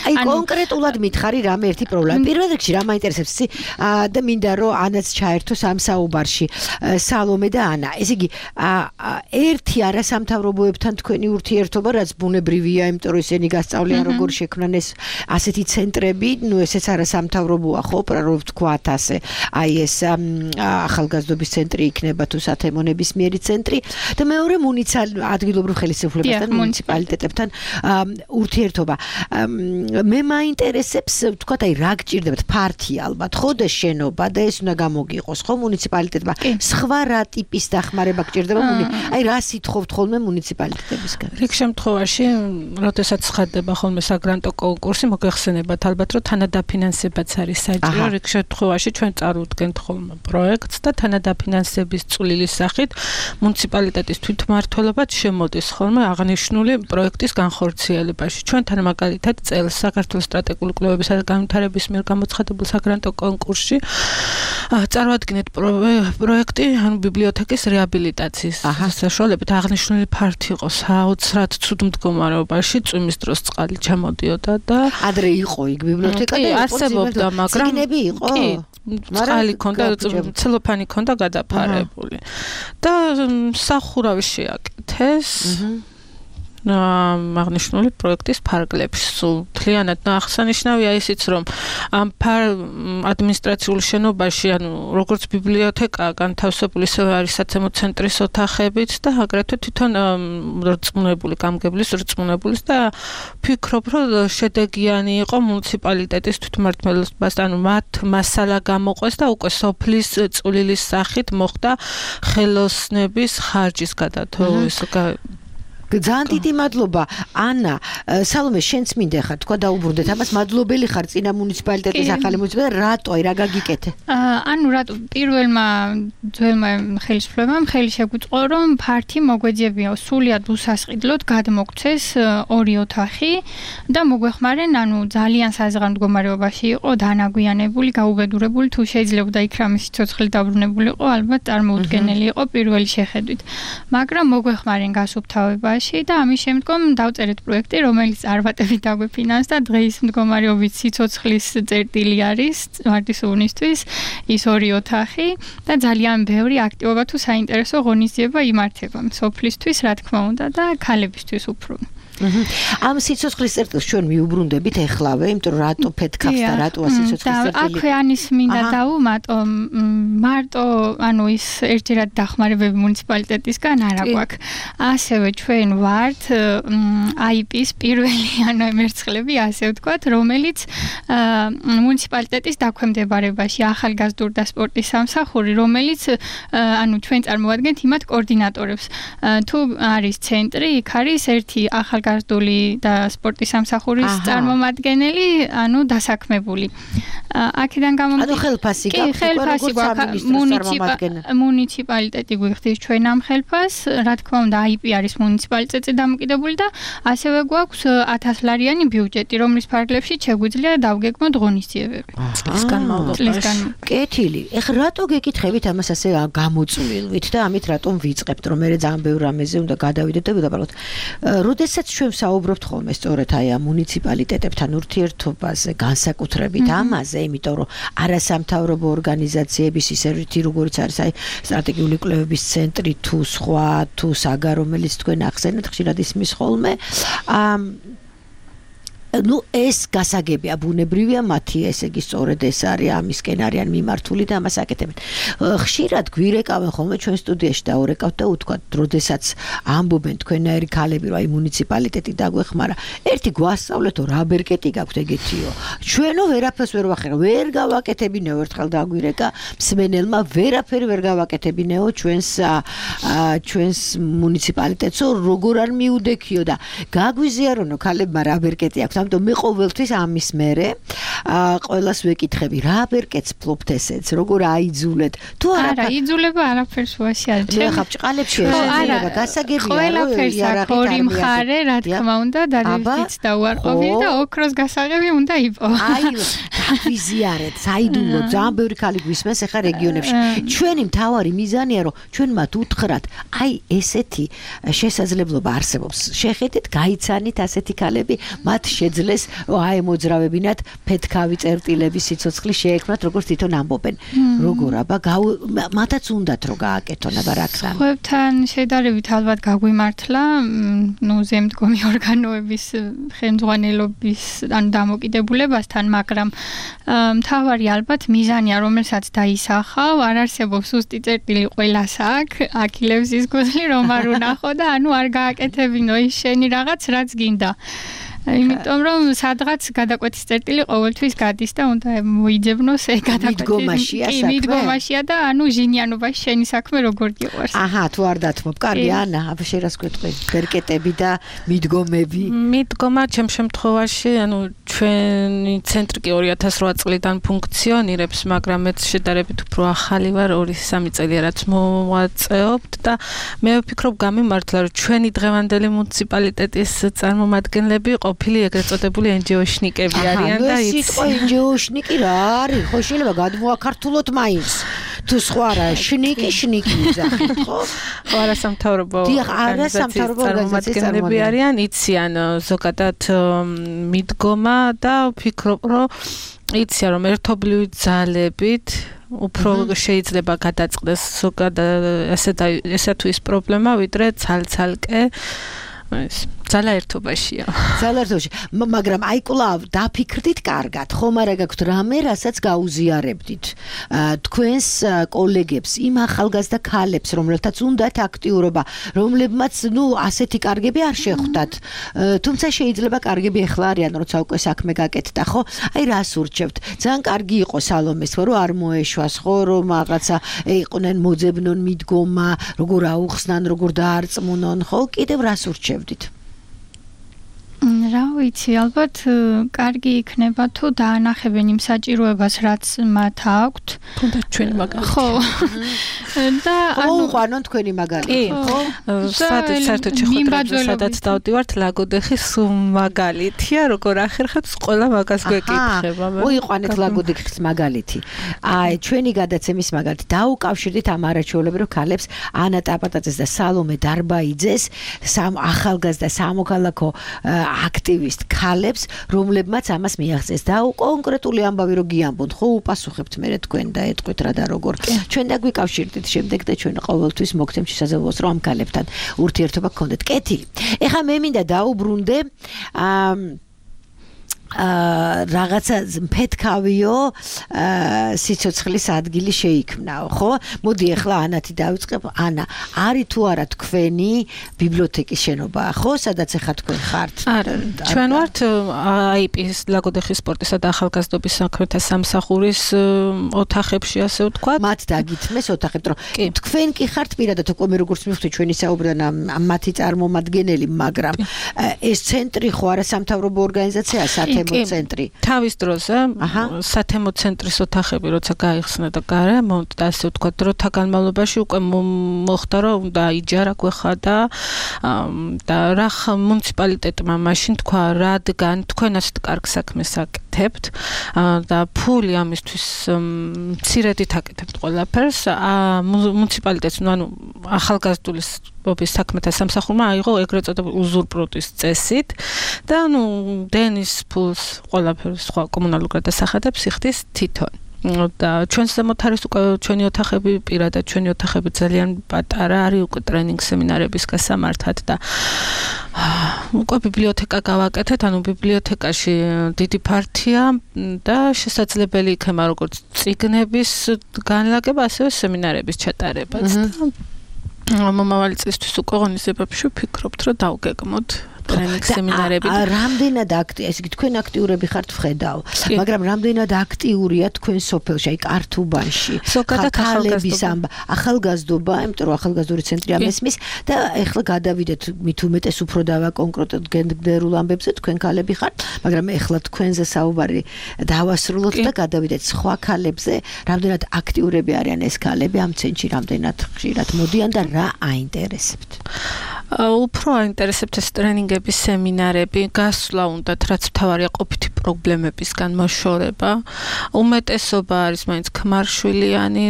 აი კონკრეტულად მითხარი რამე ერთი პრობლემა. პირველ რიგში რა მაინტერესებს იცი და მინდა რომ ანაც ჩაერთო სამ საუბარში სალომე და ანა. ესე იგი ერთი არასამთავრობოებთან თქვენი ურთიერთობა რაც ბუნებრივია, იმიტომ რომ ისინი გასწავლიან როგორ შექმნან ეს ასეთი ცენტრები, ნუ ესეც არასამთავრობოა ხო, უბრალოდ ვთქვათ ასე. აი ეს ახალგაზრდობის ცენტრი იქნება თუ სათემო ნებისმიერი ცენტრი და მეორე მუნიციპალ ადგილობრივ ხელისუფლებასთან მუნიციპალიტეტებთან ურთიერთობა. მე მაინტერესებს, ვთქვათ, აი რა გჭირდებათ ფართი ალბათ, ხო და შენობა და ეს უნდა გამოგიყოს, ხო მუნიციპალიტეტმა. სხვა რა ტიპის დახმარება გჭირდება მუნი? აი რა სიტყვით ხოლმე მუნიციპალიტეტებისგან? რიგ შემთხვევაში, როდესაც ხდება ხოლმე საგრანტო კონკურსი, მოგეხსენებათ ალბათ, რომ თანადაფინანსებაც არის საჭირო. რიგ შემთხვევაში ჩვენ წარუდგენთ ხოლმე პროექტს და თანადაფინანსების წვლილის სახით მუნიციპალიტეტის თვითმმართველობაც შემოდის ხოლმე აღნიშნული პროექტის განხორციელებაში. ჩვენთან მაგალითად წელს საქართველოს სტრატეგიული კვლევებისა და განვითარების მიერ გამოცხადებულ საგრანტო კონკურსში წარმოადგენთ პროექტი ანუ ბიბლიოთეკის რეაბილიტაციის საშუალებით აღნიშნული ფართი იყო საოცრად ცუდ მდგომარეობაში წვიმის დროს წყალი ჩამოდიოდა და ადრე იყო იქ ბიბლიოთეკა და არსებობდა მაგრამ წიგნები იყო წყალი ქონდა ცელოფანი ქონდა გადაფარებული და სახურავი შეაკეთეს აღნიშნული პროექტის ფარგლებში სულ მთლიანად აღსანიშნავია ისიც რომ ამ ადმინისტრაციულ შენობაში ანუ როგორც ბიბლიოთეკა განთავსებული ისევე არის საცემო ცენტრის ოთახებიც და აგრეთვე თვითონ რწმუნებული გამგებლის რწმუნებულის და ფიქრობ რომ შედეგიანი იყო მუნიციპალიტეტის თვითმმართველობას ანუ მათ მასალა გამოყვეს და უკვე სოფლის წვლილის სახით მოხდა ხელოსნების ხარჯის გადათო ეს ძალიან დიდი მადლობა ანა სალომე შენც მინდა ხარ თქვა დაუბრუნდეთ ამას მადლობელი ხარ წინა მუნიციპალიტეტის ახალი მუნიციპალიტეტი რატო აი რა გაგიკეთე ანუ რატო პირველმა ძველმა ხელისუფლებამ ხელი შეგვიწყო რომ ფართი მოგვეძებია სულიად უსასყიდლოდ გადმოგცეს ორი ოთახი და მოგვეხმარენ ანუ ძალიან საზღარ მდგომარეობაში იყო დანაგვიანებული გაუბედურებული თუ შეიძლებოდა იქ რამე სიცოცხლე დაბრუნებული იყო ალბათ წარმოუდგენელი იყო პირველი შეხედვით მაგრამ მოგვეხმარენ გასუფთავება და ამის შემდგომ დავწერეთ პროექტი, რომელიც არბატებით დაგვეფინანსდა და დღეს მდგომარეობით სიცოცხლის წერტილი არის ვარდის უნისთვის ის ორი ოთახი და ძალიან ბევრი აქტივობა თუ საინტერესო ღონისძიება იმართება სოფლისთვის, რა თქმა უნდა და ქალებისთვის უფრო. ამ სიცოცხლის წერტილს ჩვენ მიუბრუნდებით ეხლავე, იმიტომ რომ რატო ფეთქავს და რატო სიცოცხლის წერტილი? აქვე ანის მინდა დავუმატო, მარტო ანუ ის ერთჯერად დახმარებები მუნიციპალიტეტისგან არ აქვს. ასევე ჩვენ ვართ აი პის პირველი ანუ მერცხლები, ასე ვთქვათ, რომელიც მუნიციპალიტეტის დაქვემდებარებაში ახალგაზრდულ და სპორტის სამსახური, რომელიც ანუ ჩვენ წარმოადგენთ იმათ კოორდინატორებს. თუ არის ცენტრი, იქ არის ერთი ახალგაზრდა ლაშკარდული და სპორტის სამსახურის წარმომადგენელი, ანუ დასაქმებული. აქედან გამომდინარე, ანუ ხელფასი გაქვს, ხელფასი გვაქვს, მუნიციპალიტეტი გვიხდის ჩვენ ამ ხელფას, რა თქმა უნდა, აი პი არის მუნიციპალიტეტზე დამოკიდებული და ასევე გვაქვს ათას ლარიანი ბიუჯეტი, რომლის ფარგლებში შეგვიძლია დავგეგმოთ ღონისძიებები. წლის განმავლობაში. კეთილი. ეხლა რატო გეკითხებით ამას ასე გამოწვლილვით და ამით რატომ ვიწყებთ, რომ მე ძალიან ბევრ რამეზე უნდა გადავიდეთ და ვიდაბალოთ. როდესაც ჩვენ საუბრობთ ხოლმე სწორედ აი ამ მუნიციპალიტეტებთან ურთიერთობაზე, განსაკუთრებით ამაზე, იმიტომ რომ არასამთავრობო ორგანიზაციების ისე რითი როგორიც არის აი სტრატეგიული კვლევების ცენტრი თუ სხვა თუ საგა რომელიც თქვენ ახსენეთ ხშირად ისმის ხოლმე ამ ну ეს გასაგებია ბუნებრივია მათი ესე იგი სწორედ ეს არის ამისკენ არიან მიმართული და ამას აკეთებენ. ხშირად გვირეკავენ ხოლმე ჩვენ სტუდიაში და ორეკავთ და უთქვათ, როდესაც ამბობენ თქვენაერი ქალები რომ აი მუნიციპალიტეტი დაგვეხმარა, ერთი გვასწავლეთო რა ბერკეტი გაქვთ ეგეთიო. ჩვენო ვერაფერს ვერ ვახერხ, ვერ გავაკეთებინეო ერთხელ დაგვირეკა მსმენელმა ვერაფერი ვერ გავაკეთებინეო ჩვენს ჩვენს მუნიციპალიტეტსო როგორ არ მიუდექიო და გაგვიზიარონო ქალებმა რა ბერკეტი აქვს. ამიტომ მე ყოველთვის ამის მერე ყველას ვეკითხები რა ბერკეტს ფლობთ ესეც როგორ აიძულეთ თუ არა იძულება არაფერს ვაშიარებ მე ხა ბჭყალებში შეიძლება გასაგებია ყველაფერს აქვს ორი მხარე რა თქმა უნდა და რითიც დავარყოფი და ოქროს გასაღები უნდა იპო აი ვიზიარეთ საიდუმლო ძალიან ბევრი ქალი გვისმენს ახლა რეგიონებში ჩვენი მთავარი მიზანია რომ ჩვენ მათ უთხრათ აი ესეთი შესაძლებლობა არსებობს შეხედეთ გაიცანით ასეთი ქალები მათ შეძლეს აი მოძრავებინათ ფეთქავი წერტილების სიცოცხლე შეექმნათ როგორც თვითონ ამბობენ როგორ აბა მათაც უნდათ რომ გააკეთონ აბა რა ქრან ხუებთან შედარებით ალბათ გაგვიმართლა ნუ ზემდგომი ორგანოების ხელმძღვანელობის ან დამოკიდებულებასთან მაგრამ მთავარი ალბათ მიზანია რომელსაც დაისახავ არ არსებობს სუსტი წერტილი ყველას აქვს აქილევსის ის გული რომ არ უნახო და ანუ არ გააკეთებინო ის შენი რაღაც რაც გინდა იმიტომ რომ სადღაც გადაკვეთის წერტილი ყოველთვის გადის და უნდა მოიძებნოს ეგ გადაკვეთის კი მიდგომაშია და ანუ ჟინიანობაში შენი საქმე როგორ გიყვარს აჰა თუ არ დათმობ კარგი ანა აბა შენ რას გვეტყვი ბერკეტები და მიდგომები მიდგომა ჩემ შემთხვევაში ანუ ჩვენი ცენტრი კი ორი ათას რვა წლიდან ფუნქციონირებს მაგრამ მეც შედარებით უფრო ახალი ვარ ორი სამი წელია რაც მოვაწეობთ და მე ვფიქრობ გამიმართლა რომ ჩვენი დღევანდელი მუნიციპალიტეტის წარმომადგენლები ყოფილი ეგრეთ წოდებული ენჯიოშნიკები არიან და იცი სიტყვა ენჯიოშნიკი რა არის ხო შეიძლება გადმოაქართულოთ მაინც თუ სხვა რა შნიკი შნიკი უძახით ხო ხო არასამთავრობო არასამთავრობო წარმომადგენლები არიან იციან ზოგადად მიდგომა და ვფიქრობ რომ იციან რომ ერთობლივი ძალებით უფრო შეიძლება გადაწყდეს ზოგადად ესე და ესა თუ ის პრობლემა ვიდრე ცალ-ცალკე ეს ძალა ერთობაშია. ძალა ერთობაში, მაგრამ აი კლავ დაფიქრდით კარგად, ხომ არა გაქვთ რამე, რასაც გაუზიარებდით. თქვენს კოლეგებს, იმ ახალგაზრდა ქალებს, რომლებთაც უნდათ აქტიურობა, რომლებმაც, ნუ, ასეთი კარგები არ შეხვდათ. თუმცა შეიძლება კარგები ახლა არიან, როცა უკვე საქმე გაკეთდა, ხო? აი რას ურჩევთ? ძალიან კარგი იყო სალომეს, რომ არ მოეშვას, ხო, რომ რაღაცა იყვნენ მოძებნონ მიდგომა, როგორ აუხსნან, როგორ დაარწმუნონ, ხო? კიდევ რას ურჩევდით? რა ვიცი, ალბათ კარგი იქნება თუ დაანახებენ იმ საჭიროებას, რაც მათ აქვთ. თუნდაც ჩვენი მაგალითი. ხო. და ანუ უყანონ თქვენი მაგალითი, ხო? სადაც საერთოდ შეხვედრებზე სადაც დავდივართ, ლაგოდეხის მაგალითია, როგორ ახერხებს ყველა მაგას გვეკითხება. უიყვანეთ ლაგოდეხის მაგალითი. აი, ჩვენი გადაცემის მაგალითი. დაუკავშირდით ამ არაჩვეულებრივ ქალებს ანა ტაპატაძეს და სალომე დარბაიძეს, სამ ახალგაზრდა სამოქალაქო აქტივისტ ქალებს, რომლებმაც ამას მიაღწიეს და კონკრეტული ამბავი რო გიამბობთ, ხო უპასუხებთ მე თქვენ და ეტყვით რა და როგორ. ჩვენ და გვიკავშირდით შემდეგ და ჩვენ ყოველთვის მოგცემთ შესაძლებლობას რომ ამ ქალებთან ურთიერთობა გქონდეთ. კეთილი. ეხლა მე მინდა დაუბრუნდე აა აა რაღაცა ფეთქავიო სიცოცხლის ადგილი შეიქმნაო, ხო? მოდი ახლა ანათი დავიწყებ. ანა, არის თუ არა თქვენი ბიბლიოთეკის შენობა, ხო? სადაც ახლა თქვენ ხართ? არა, ჩვენ ვართ აი პი-ის ლაგოდეხის სპორტისა და ახალგაზრდობის საქმეთა სამსახურის ოთახებში, ასე ვთქვათ. მათ დაგითმეს ოთახებთ, რომ თქვენ კი ხართ პირადად უკვე მე როგორც მივხვდი ჩვენი საუბრიდან მათი წარმომადგენელი, მაგრამ ეს ცენტრი ხო არა სამთავრობო ორგანიზაციაა, სათემო ცენტრი. თავის დროზე სათემო ცენტრის ოთახები როცა გაიხსნა და გარემონტ და ასე ვთქვათ, დროთა განმავლობაში უკვე მოხდა რომ და იჯარა გვეხა და და რა მუნიციპალიტეტმა მაშინ თქვა, რადგან თქვენ ასეთ კარგ საქმეს აკეთებთ და ფული ამისთვის მცირედით აკეთებთ ყველაფერს, მუნიციპალიტეტს, ანუ ახალგაზრდულის ობის საქმეთა სამსახურმა აიღო ეგრეთ წოდებული უზურპროტის წესით და ანუ დენის ფულს ყველაფერს სხვა კომუნალურ გადასახადებს იხდის თვითონ. და ჩვენს ზემოთ არის უკვე ჩვენი ოთახები, პირადად ჩვენი ოთახები ძალიან პატარა არის უკვე ტრენინგ სემინარების გასამართად და უკვე ბიბლიოთეკა გავაკეთეთ, ანუ ბიბლიოთეკაში დიდი პარტია და შესაძლებელი იქნება როგორც წიგნების განლაგება, ასევე სემინარების ჩატარებაც და მომავალი წლისთვის უკვე ღონისძიებებში ვფიქრობთ, რომ დავგეგმოთ ტრენინგ სემინარები. რამდენად აქტი, ესე იგი თქვენ აქტიურები ხართ ვხედავ, მაგრამ რამდენად აქტიურია თქვენ სოფელში, აი კართუბანში, ხალხების ამბა, ახალგაზრდობა, იმიტომ რომ ახალგაზრდული ცენტრი ამესმის და ეხლა გადავიდეთ მით უმეტეს უფრო დავაკონკრეტოთ გენდერულ ამბებზე, თქვენ ქალები ხართ, მაგრამ ეხლა თქვენზე საუბარი დავასრულოთ და გადავიდეთ სხვა ქალებზე, რამდენად აქტიურები არიან ეს ქალები ამ ცენტრში, რამდენად ხშირად მოდიან და რა აინტერესებთ? უფრო აინტერესებთ ეს ტრენინგების სემინარები, გასვლა უნდათ, რაც მთავარია ყოფითი პრობლემებისგან მოშორება. უმეტესობა არის მაინც ქმარშვილიანი,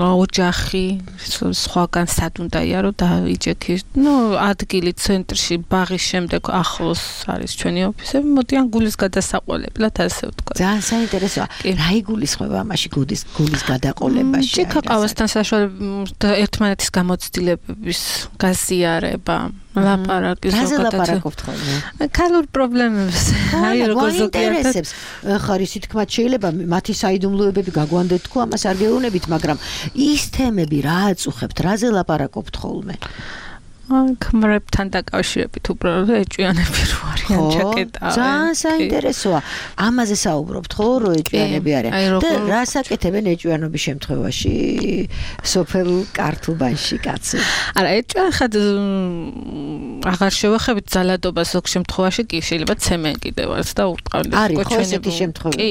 ოჯახი, სხვაგან სად უნდაია რომ დაიჯექი. ნუ ადგილი ცენტრში, ბაღის შემდეგ ახლოს არის ჩვენი ოფისები, მოდიან გულის გადასაყოლებლად, ასე ვთქვათ. ძალიან საინტერესოა. რა იგულისხმება ამაში გულის გულის გადაყოლებაში? ჭიქაყავასთან საშუალებით ერთმანეთის გამოცდილებების გაზიარება. ლაპარაკი ზოგადად. რაზე ლაპარაკობთ ხოლმე? ქალურ პრობლემებს. აი როგორ ზოგადად ხარისი თქმათ შეიძლება მათი საიდუმლოებები გაგვანდეთ თქო ამას არ გეუბნებით, მაგრამ ის თემები რა აწუხებთ, რაზე ლაპარაკობთ ხოლმე? ქმრებთან დაკავშირებით უბრალოდ ეჭვიანები რო არიან ჩაკეტავენ. ძალიან საინტერესოა. ამაზე საუბრობთ ხო, რომ ეჭვიანები არიან. და რას აკეთებენ ეჭვიანობის შემთხვევაში სოფელ კართუბანში კაცი? არა, ეჭვიან ხად აღარ შევახებით ძალადობას ზოგ შემთხვევაში კი შეიძლება ცემენ კიდევაც და უტყავენ უკვე ჩვენი ესეთი შემთხვევები. კი,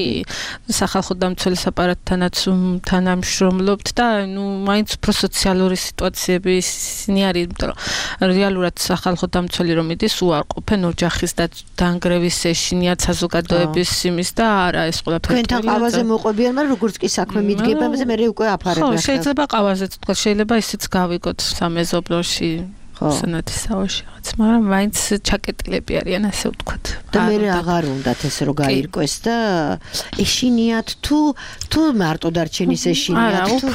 სახალხო დამცველის აპარატთანაც თანამშრომლობთ და ნუ მაინც უფრო სოციალური სიტუაციები ისინი არის, იმიტომ რომ რეალურად სახალხო დამცველი რომ იდის უარყოფენ ოჯახის და დანგრევის ეშინიათ საზოგადოების იმის და არა ეს ყველაფერი. თქვენთან ყავაზე მოყვებიან, მაგრამ როგორც კი საქმე მიდგება, ამაზე მე უკვე აფარებენ. ხო, შეიძლება ყავაზეც თქვა, შეიძლება ისიც გავიგოთ სამეზობლოში. სანათის საოში რაღაც, მაგრამ მაინც ჩაკეტილები არიან, ასე ვთქვათ. და მე აღარ უნდათ ეს რო გაირკვეს და ეშინიათ თუ თუ მარტო დარჩენის ეშინიათ თუ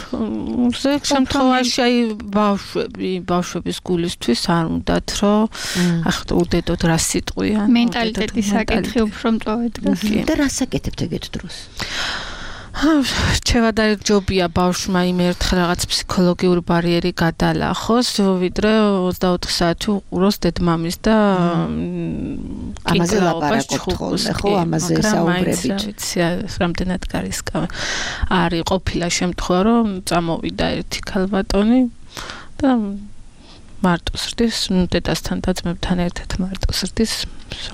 ზოგ შემთხვევაში აი ბავშვები, ბავშვების გულისთვის არ უნდათ რომ ახლა უდედოთ რა სიტყვიან. მენტალიტეტის საკითხი უფრო მწვავედ დგას. და რას აკეთებთ ეგეთ დროს? რჩევა და ჯობია ბავშვმა იმ ერთხელ რაღაც ფსიქოლოგიური ბარიერი გადალახოს, ვიდრე ოცდაოთხი საათი უყუროს დედმამის და ამაზე ლაპარაკობთ ხოლმე, ხო, ამაზე საუბრებით. რამდენად გარისკავ არის ყოფილა შემთხვევა, რომ წამოვიდა ერთი ქალბატონი და მარტო სრდის, ნუ დედასთან და ძმებთან ერთად მარტო სრდის.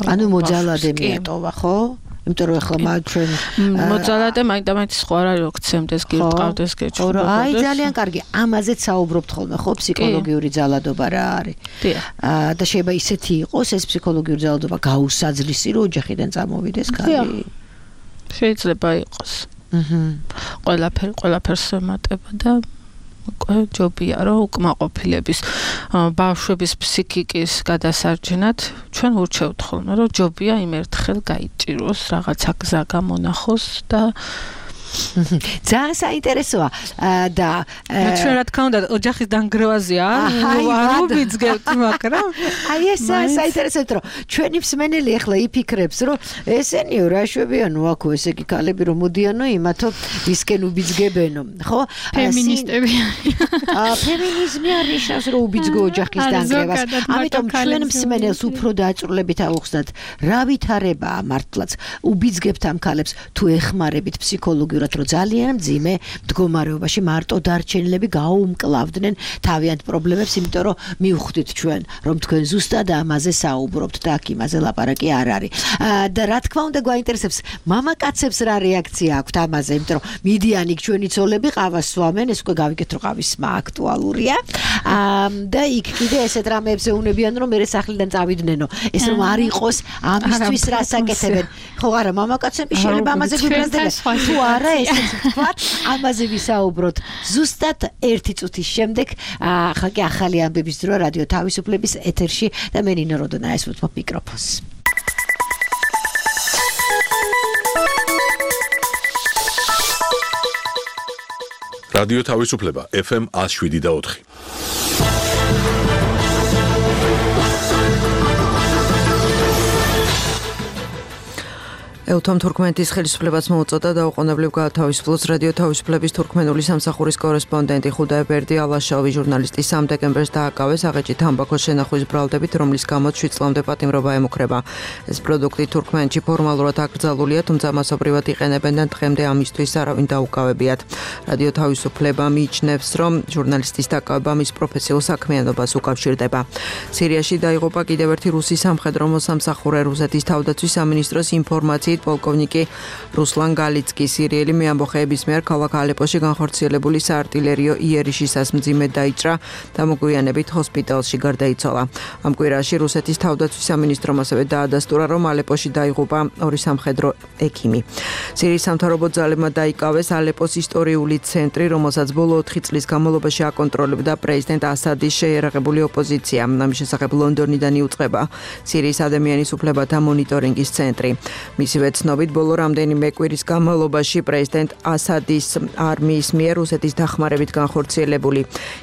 ანუ მოძალადე მიატოვა, ხო? იმიტომ რომ ახლა ჩვენ მოძალადე მაინდა-მაინც სხვა რა როქცემდეს გიყავდეს გეჭვდა. აი ძალიან კარგი, ამაზეც საუბრობთ ხოლმე, ხო, ფსიქოლოგიური ძალადობა რა არის. აა და შეიძლება ისეთი იყოს ეს ფსიქოლოგიური ძალადობა გაუსაძლისი, რომ ოჯახიდან წამოვიდეს ქალი. შეიძლება იყოს. აჰა. ყველაფერი ყველაფერს ემატება და ჯობია რომ უკმაყოფილების ბავშვების ფსიქიკის გადასარჩენად ჩვენ ურჩევთ ხოლმე რომ ჯობია იმ ერთხელ გაიჭიროს რაღაცა გზა გამონახოს და ძალიან საინტერესოა და ჩვენ რა თქმა უნდა ოჯახის დანგრევაზია არ ვიბიძგებთ მაგრამ აი ეს საინტერესოა რომ ჩვენი მსმენელი ახლა იფიქრებს რომ ესენიო რა შვებიანო აქო ესე იგი ქალები რომ მოდიანო იმათო ვისკენ უბიძგებენო ხო ფემინისტები აა ფემინიზმი არ ნიშნავს რომ უბიძგო ოჯახის დანგრევას ამიტომ ჩვენ მსმენელს უფრო დააწურლებით ავუხსნათ რა ვითარებაა მართლაც უბიძგებთ ამ ქალებს თუ ეხმარებით ფსიქოლოგიურად რომ ძალიან მძიმე მდგომარეობაში მარტო დარჩენილები გაუმკლავდნენ თავიანთ პრობლემებს იმიტომ რომ მივხვდით ჩვენ რომ თქვენ ზუსტად ამაზე საუბრობთ და აქ იმაზე ლაპარაკი არ არის და რა თქმა უნდა გვაინტერესებს მამაკაცებს რა რეაქცია აქვთ ამაზე იმიტომ რომ მიდიან იქ ჩვენი ცოლები ყავას სვამენ ეს უკვე გავიგეთ რომ ყავის სმა აქტუალურია და იქ კიდე ესეთ რამეებზე უნებიან რომ მე სახლიდან წავიდნენ ეს რომ არ იყოს ამისთვის რასაკეთებენ ხო არა მამაკაცები შეიძლება ამაზე გვიბრაზდებიან თუ არა ესეც ვთქვათ ამაზე ვისაუბროთ ზუსტად ერთი წუთის შემდეგ ახლა კი ახალი ამბების დრო რადიო თავისუფლების ეთერში და მე ნინო როდონაიას ვუთმობ მიკროფონს რადიო თავისუფლება ეფ ემ one oh seven და four ელთომ თურქმენეთის ხელისუფლებას მოუწოდა დაუყოვნებლივ გაათავისუფლოს რადიო თავისუფლების თურქმენული სამსახურის კორესპონდენტი ხუდაი ბერდი ალაშოვი ჟურნალისტი სამი დეკემბერს დააკავეს აღეჭი თამბაქოს შენახვის ბრალდებით რომლის გამოც შვიდ წლამდე პატიმრობა ემუქრება ეს პროდუქტი თურქმენეთში ფორმალურად აკრძალულია თუმცა მასობრივად იყენებენ და დღემდე ამისთვის არავინ დაუკავებიათ რადიო თავისუფლება მიიჩნევს რომ ჟურნალისტის დაკავება მის პროფესიულ საქმიანობას უკავშირდება სირიაში დაიღუპა კიდევ ერთი რუსი სამხედრო მოსამსახურე რუსეთის თავდაცვის სამინისტროს ინფორმაციით პოლკოვნიკი რუსლან გალიცკი სირიელი მეამბოხეების მიერ ქალაქ ალეპოში განხორციელებული საარტილერიო იერიშისას მძიმედ დაიჭრა და მოგვიანებით ჰოსპიტალში გარდაიცვალა. ამ კვირაში რუსეთის თავდაცვის სამინისტრომ ასევე დაადასტურა, რომ ალეპოში დაიღუპა ორი სამხედრო ექიმი. სირიის სამთავრობო ძალებმა დაიკავეს ალეპოს ისტორიული ცენტრი, რომელსაც ბოლო ოთხი წლის განმავლობაში აკონტროლებდა პრეზიდენტ ასადის შეიარაღებული ოპოზიცია. ამის შესახებ ლონდონიდან იუწყება სირიის ადამიანის უფლებათა მონიტორინგის ცენტრი. მისივე ცნობით ბოლო რამდენიმე კვირის განმავლობაში პრეზიდენტ ასადის არმიის მიერ რუსეთის დახმარებით განხორციელებული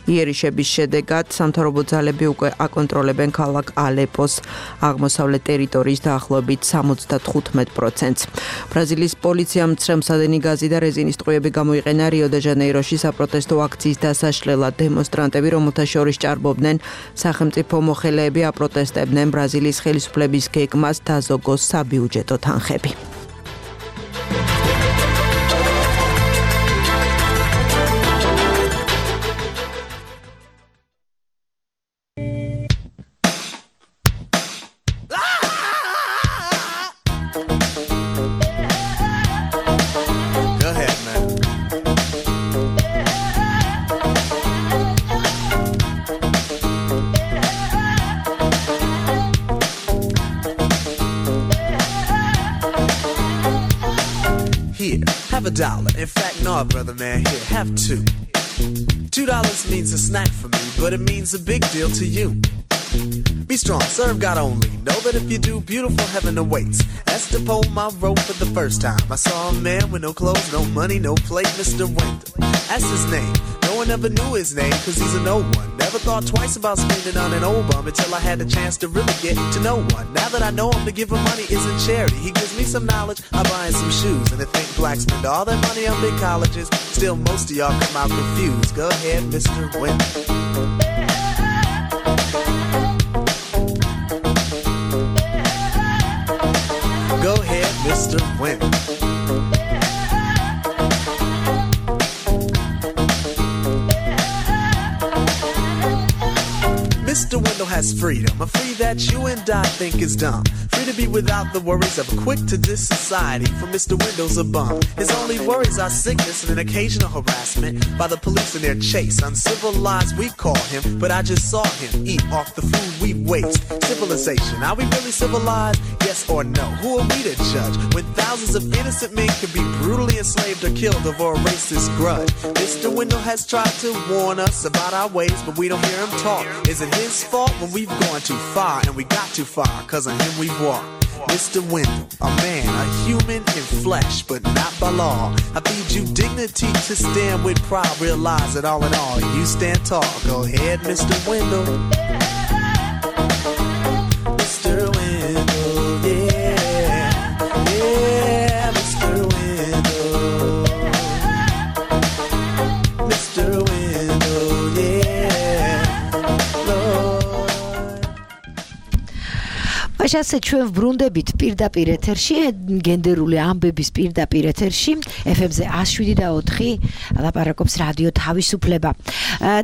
იერიშების შედეგად სამთავრობო ძალები უკვე აკონტროლებენ ქალაქ ალეპოს აღმოსავლეთ ტერიტორიის დაახლოებით სამოცდათხუთმეტ პროცენტს. ბრაზილიის პოლიციამ მცრემსადენი გაზი და რეზინის ტყვიები გამოიყენა რიო-დე-ჟანეიროში საპროტესტო აქციის დასაშლელად. დემონსტრანტები, რომელთა შორის ჭარბობდნენ სახელმწიფო მოხელეები, აპროტესტებდნენ ბრაზილიის ხელისუფლების გეგმას დაზოგოს საბიუჯეტო თანხები. Have a dollar. In fact, no, brother man, here, have two. Two dollars means a snack for me, but it means a big deal to you. Be strong, serve God only. Know that if you do, beautiful heaven awaits. Esther pulled my rope for the first time. I saw a man with no clothes, no money, no plate, Mister Winter. That's his name. No one ever knew his name, cause he's a no one. Never thought twice about spending on an old bum until I had the chance to really get to know one. Now that I know him, to give him money isn't charity. He gives me some knowledge, I buy him some shoes. And to think blacks spend all their money on big colleges, still most of y'all come out confused. Go ahead, Mister Winter. Go ahead, Mister Winter. Mister Wendell has freedom, a free that you and I think is dumb. Free to be without the worries of a quick-to-diss society, for Mister Wendell's a bum. His only worries are sickness and an occasional harassment by the police in their chase. Uncivilized we call him, but I just saw him eat off the food we waste. Civilization, are we really civilized? Yes or no? Who are we to judge when thousands of innocent men can be brutally enslaved or killed over a racist grudge? Mister Wendell has tried to warn us about our ways, but we don't hear him talk. Is it his fault when we we've gone too far, and we got too far, cause of him we walk. Mister Wendell, a man, a human in flesh, but not by law. I feed you dignity to stand with pride. Realize that all in all, you stand tall. Go ahead, Mister Wendell. Mister Wendell, yeah, yeah, Mister Wendell. Mister Wendell, yeah, Lord. ასე ჩვენ ვბრუნდებით პირდაპირ ეთერში, გენდერული ამბების პირდაპირ ეთერში, ეფ ემ-ზე one oh seven და four ლაპარაკობს რადიო თავისუფლება.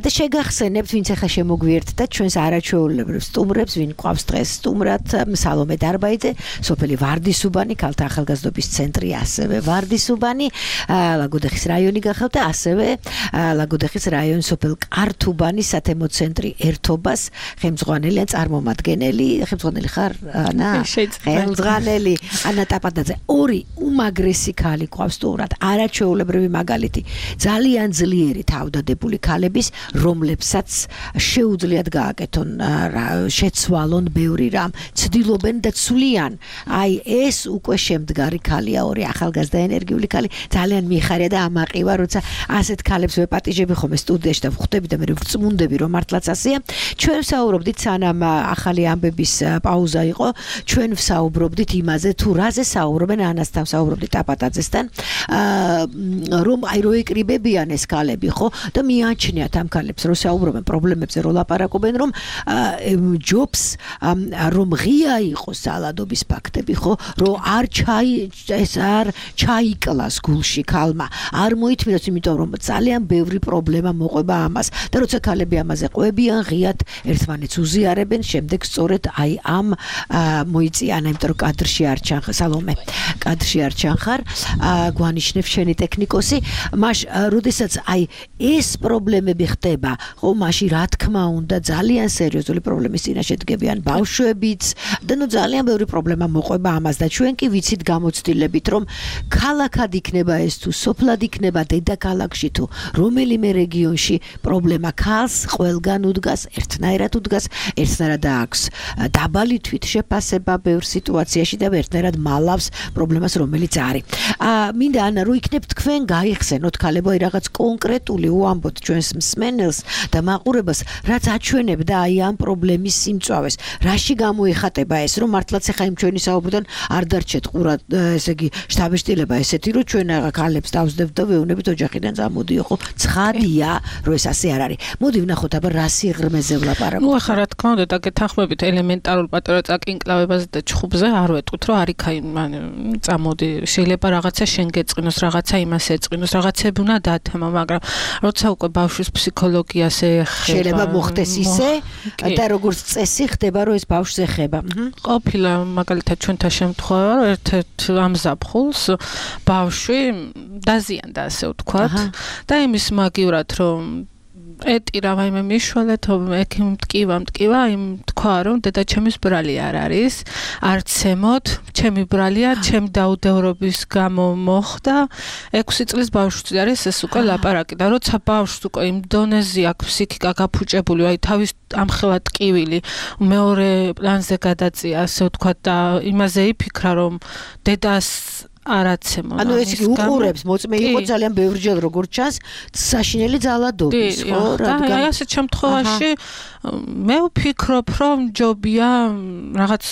და შეგახსენებთ, ვინც ახლა შემოგვიერთდა ჩვენს არაჩვეულებრივ სტუმრებს, ვინ ყავს დღეს სტუმრად, სალომე დარბაიძე, სოფელი ვარდისუბანი, ქალთა ახალგაზრდობის ცენტრი, ასევე ვარდისუბანი, ლაგოდეხის რაიონი გახავთ და ასევე ლაგოდეხის რაიონის სოფელ კართუბანის სათემო ცენტრი ერთობას, ხელმძღვანელი ან წარმომადგენელი, ხელმძღვანელი ხარ ანა ხელმძღვანელი ანა ტაპატაძე, ორი უმაგრესი ქალი ყავს სტუმრად, არაჩვეულებრივი მაგალითი, ძალიან ძლიერი თავდადებული ქალების, რომლებსაც შეუძლიათ გააკეთონ, შეცვალონ ბევრი რამ, ცდილობენ და ცვლიან. აი ეს უკვე შემდგარი ქალია, ორი ახალგაზრდა ენერგიული ქალი, ძალიან მიხარია და ამაყივა, როცა ასეთ ქალებს ვეპატიჟები ხოლმე სტუდიაში და ვხვდები და მე ვწმუნდები, რომ მართლაც ასეა. ჩვენ ვსაუბრობდით, სანამ ახალი ამბების პაუზა იყო, ჩვენ ვსაუბრობდით იმაზე, თუ რაზე საუბრობენ, ანასთან ვსაუბრობდით ტაპატაძესთან, რომ აი რო ეკრიბებიან ეს ქალები, ხო? და მიაჩნიათ ამ ქალებს, რომ საუბრობენ პრობლემებზე, რომ ლაპარაკობენ, რომ ჯობს, რომ ღია იყოს ძალადობის ფაქტები, ხო? რომ არ ჩაი ეს არ ჩაიკლას გულში ქალმა, არ მოითმინოს, იმიტომ რომ ძალიან ბევრი პრობლემა მოყვება ამას. და როცა ქალები ამაზე ყვებიან, ღიად ერთმანეთს უზიარებენ, შემდეგ სწორედ აი ამ მოიწიან, იმიტომ რომ კადრში არ ჩანხარ, სალომე, კადრში არ ჩანხარ, გვანიშნებ შენი ტექნიკოსი, მაშ როდესაც აი ეს პრობლემები ხდება, ხო, მაშინ რა თქმა უნდა ძალიან სერიოზული პრობლემის წინაშე დგებიან ბავშვებიც და ნუ ძალიან ბევრი პრობლემა მოყვება ამას და ჩვენ კი ვიცით გამოცდილებით, რომ ქალაქად იქნება ეს თუ სოფლად იქნება დედაქალაქში თუ რომელიმე რეგიონში პრობლემა ქალს ყველგან უდგას, ერთნაირად უდგას, ერთნაირად აქვს დაბალი თვითშეფასება ბევრ სიტუაციაში და ერთნაირად მალავს პრობლემას, რომელიც არის. მინდა ანა, რომ იქნებ თქვენ გაიხსენოთ ქალებო აი რაღაც კონკრეტული უამბოთ ჩვენს მსმენელს და მაყურებელს, რაც აჩვენებდა აი ამ პრობლემის სიმწვავეს. რაში გამოიხატება ეს, რომ მართლაც ახლა იმ ჩვენი საუბრიდან არ დარჩეთ ყურად, ესე იგი, შთაბეჭდილება ესეთი, რომ ჩვენ ქალებს დავსდებთ და ვეუბნებით ოჯახიდან წამოდიო, ხო? ცხადია, რომ ეს ასე არ არის. მოდი ვნახოთ აბა რა სიღრმეზე ვლაპარაკობთ. ნუ ახლა რა თქმა უნდა, დაგეთანხმებით ელემენტარულ პატარა წაკინკლავებაზე და ჩხუბზე არ ვეტყვით, რომ არ იქა წამოდი, შეიძლება რაღაცა შენ გეწყინოს, რაღაცა იმას ეწყინოს, რაღაცები უნდა დათემა, მაგრამ როცა უკვე ბავშვის ფსიქოლოგიას ეხება, შეიძლება მოხდეს ისე და როგორც წესი ხდება, რომ ეს ბავშვს ეხება. ყოფილა მაგალითად ჩვენთან შემთხვევა, რომ ერთ-ერთ ამზაფხულს ბავშვი დაზიანდა, ასე ვთქვათ, და იმის მაგივრად, რომ ეტირა ვაიმე მიშვალეთ, ექიმ მტკივა, მტკივა, იმ თქვა, რომ დედაჩემის ბრალი არ არის, არც ემოთ, ჩემი ბრალია, ჩემი დაუდევრობის გამო მოხდა, ექვსი წლის ბავშვი არის ეს უკვე ლაპარაკი და როცა ბავშვს უკვე იმ დონეზე აქვს ფსიქიკა გაფუჭებული, აი თავის ამხელა ტკივილი მეორე პლანზე გადაწია, ასე ვთქვათ და იმაზე იფიქრა, რომ დედას არაცემო. ანუ ეს იგი უყურებს, მოწმე იყო ძალიან ბევრჯერ როგორც ჩანს, საშინელი ძალადობის, ხო? რადგან აი ასეთ შემთხვევაში მე ვფიქრობ, რომ ჯობია რაღაც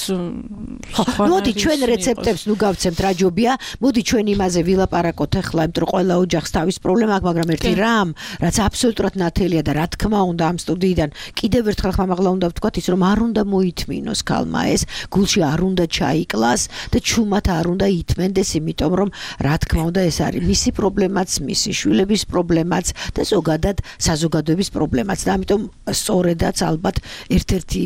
ხო, მოდი ჩვენ რეცეპტებს ნუ გავცემთ რა ჯობია, მოდი ჩვენ იმაზე ვილაპარაკოთ ახლა, იმიტომ რომ ყველა ოჯახს თავის პრობლემა აქვს, მაგრამ ერთი რამ, რაც აბსოლუტურად ნათელია და რა თქმა უნდა ამ სტუდიიდან კიდევ ერთხელ ხმამაღლა უნდა ვთქვათ ის, რომ არ უნდა მოითმინოს ქალმა ეს, გულში არ უნდა ჩაიკლას და ჩუმად არ უნდა ითმენდეს, იმიტომ რომ რა თქმა უნდა ეს არის მისი პრობლემაც, მისი შვილების პრობლემაც და ზოგადად საზოგადოების პრობლემაც და ამიტომ სწორედაც ალბათ ერთ-ერთი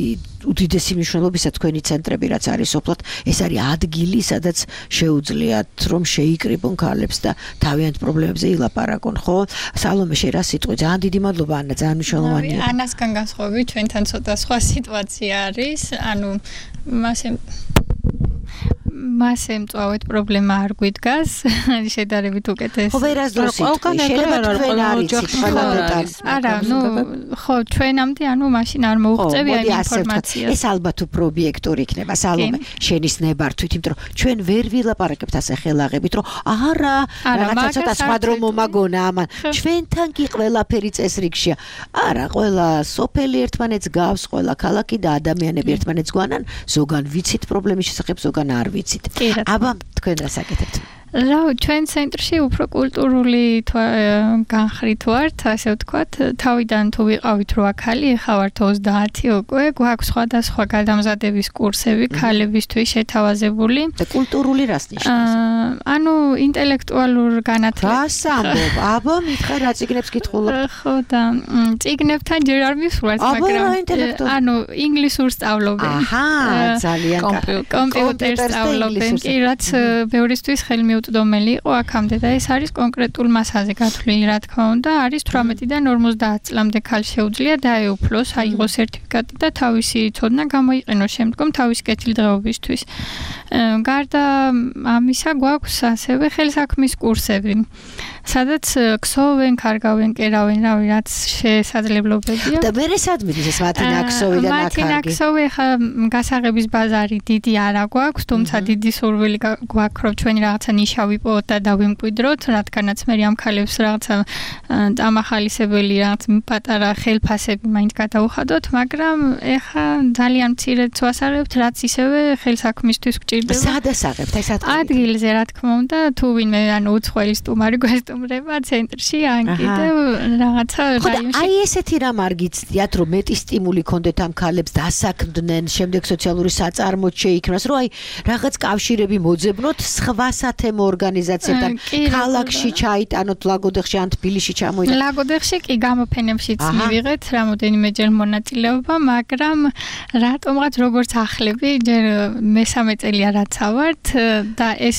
უდიდესი მნიშვნელობისა თქვენი ცენტრები რაც არის სოფლად, ეს არის ადგილი, სადაც შეუძლიათ რომ შეიკრიბონ ქალებს და თავიანთ პრობლემებზე ილაპარაკონ, ხო? სალომე, შენ რა სიტყვი? ძალიან დიდი მადლობა ანა, ძალიან მნიშვნელოვანია. ანასგან განსხვავებით, ჩვენთან ცოტა სხვა სიტუაცია არის, ანუ მასე მასე მწვავედ პრობლემა არ გვიდგას შედარებით უკეთეს ხო ვერასდროს შეიძლება თქვენ არიცით ყველა დეტალი არა ნუ ხო ჩვენამდე ანუ მაშინ არ მოუღწევია იმ ინფორმაციას ეს ალბათ უფრო ობიექტური იქნება სალომე შენის ნებართვით იმიტომ რომ ჩვენ ვერ ვილაპარაკებთ ასე ხელაღებით რომ არა რაღაცა ცოტა სხვა დრო მომაგონა ამან ჩვენთან კი ყველაფერი წესრიგშია არა ყველა სოფელი ერთმანეთს გავს ყველა ქალაქი და ადამიანები ერთმანეთს გვანან ზოგან ვიცით პრობლემის შესახებ ზოგან არ ვიცით აბა თქვენ რას აკეთებთ რა ჩვენ ცენტრში უფრო კულტურული განხრით ვართ ასე ვთქვათ თავიდან თუ ვიყავით რო აქალი ეხა ვართ ოცდაათი უკვე გვაქვს სხვადასხვა გადამზადების კურსები ქალებისთვის შეთავაზებული და კულტურული რას ნიშნავს ანუ ინტელექტუალურ განათლებას რას ამბობ აბა მითხარ რა წიგნებს კითხულობ ხო და წიგნებთან ჯერ არ მისვლას მაგრამ ანუ ინგლისურს სწავლობენ აჰა ძალიან კომპიუტერს სწავლობენ კი რაც ბევრისთვის ხელმი უდომელი იყო აქამდე და ეს არის კონკრეტულ მასაზე გათვლილი რა თქმა უნდა არის თვრამეტიდან ორმოცდაათ წლამდე ქალ შეუძლია დაეუფლოს აიღოს სერტიფიკატი და თავისი ცოდნა გამოიყენოს შემდგომ თავისი კეთილდღეობისთვის გარდა ამისა გვაქვს ასევე ხელსაქმის კურსები სადაც ქსოვენ, კარგავენ, კერავენ, რავი, რაც შესაძლებლობებია. და მე რესად მიდის ეს მათი ნაქსოვი და ნაკარგი? მათი ნაქსოვი ხა გასაღების ბაზარი დიდი არა გვაქვს, თუმცა დიდი სურვილი გვაქვს, რომ ჩვენი რაღაცა ნიშა ვიპოვოთ და დავიმკვიდროთ, რადგანაც მე ამ ქალებს რაღაცა დამახალისებელი რაღაც პატარა ხელფასები მაინც გადავუხადოთ, მაგრამ ეხა ძალიან მცირედ ვასწავლებთ, რაც ისევე ხელსაქმისთვის გჭირდება. სად ასაღებთ ეს ადგილი? ადგილზე, რა თქმა უნდა, თუ ვინმე ანუ უცხოელი სტუმარი გვესტუმრება ცენტრში, ან კიდევ რაღაცა რაიონში. აი ესეთი რამ არ გიცდიათ, რომ მეტი სტიმული ქონდეთ ამ ქალებს დასაქმდნენ, შემდეგ სოციალური საწარმოც შეიქმნას, რომ აი რაღაც კავშირები მოძებნოთ სხვა სათემო ორგანიზაციებთან, ქალაქში ჩაიტანოთ, ლაგოდეხში ან თბილისში ჩამოიტანოთ. ლაგოდეხში კი გამოფენებშიც მივიღეთ რამოდენიმეჯერ მონაწილეობა, მაგრამ რატომღაც როგორც ახლები, ჯერ მესამე წელია რაც ავართ და ეს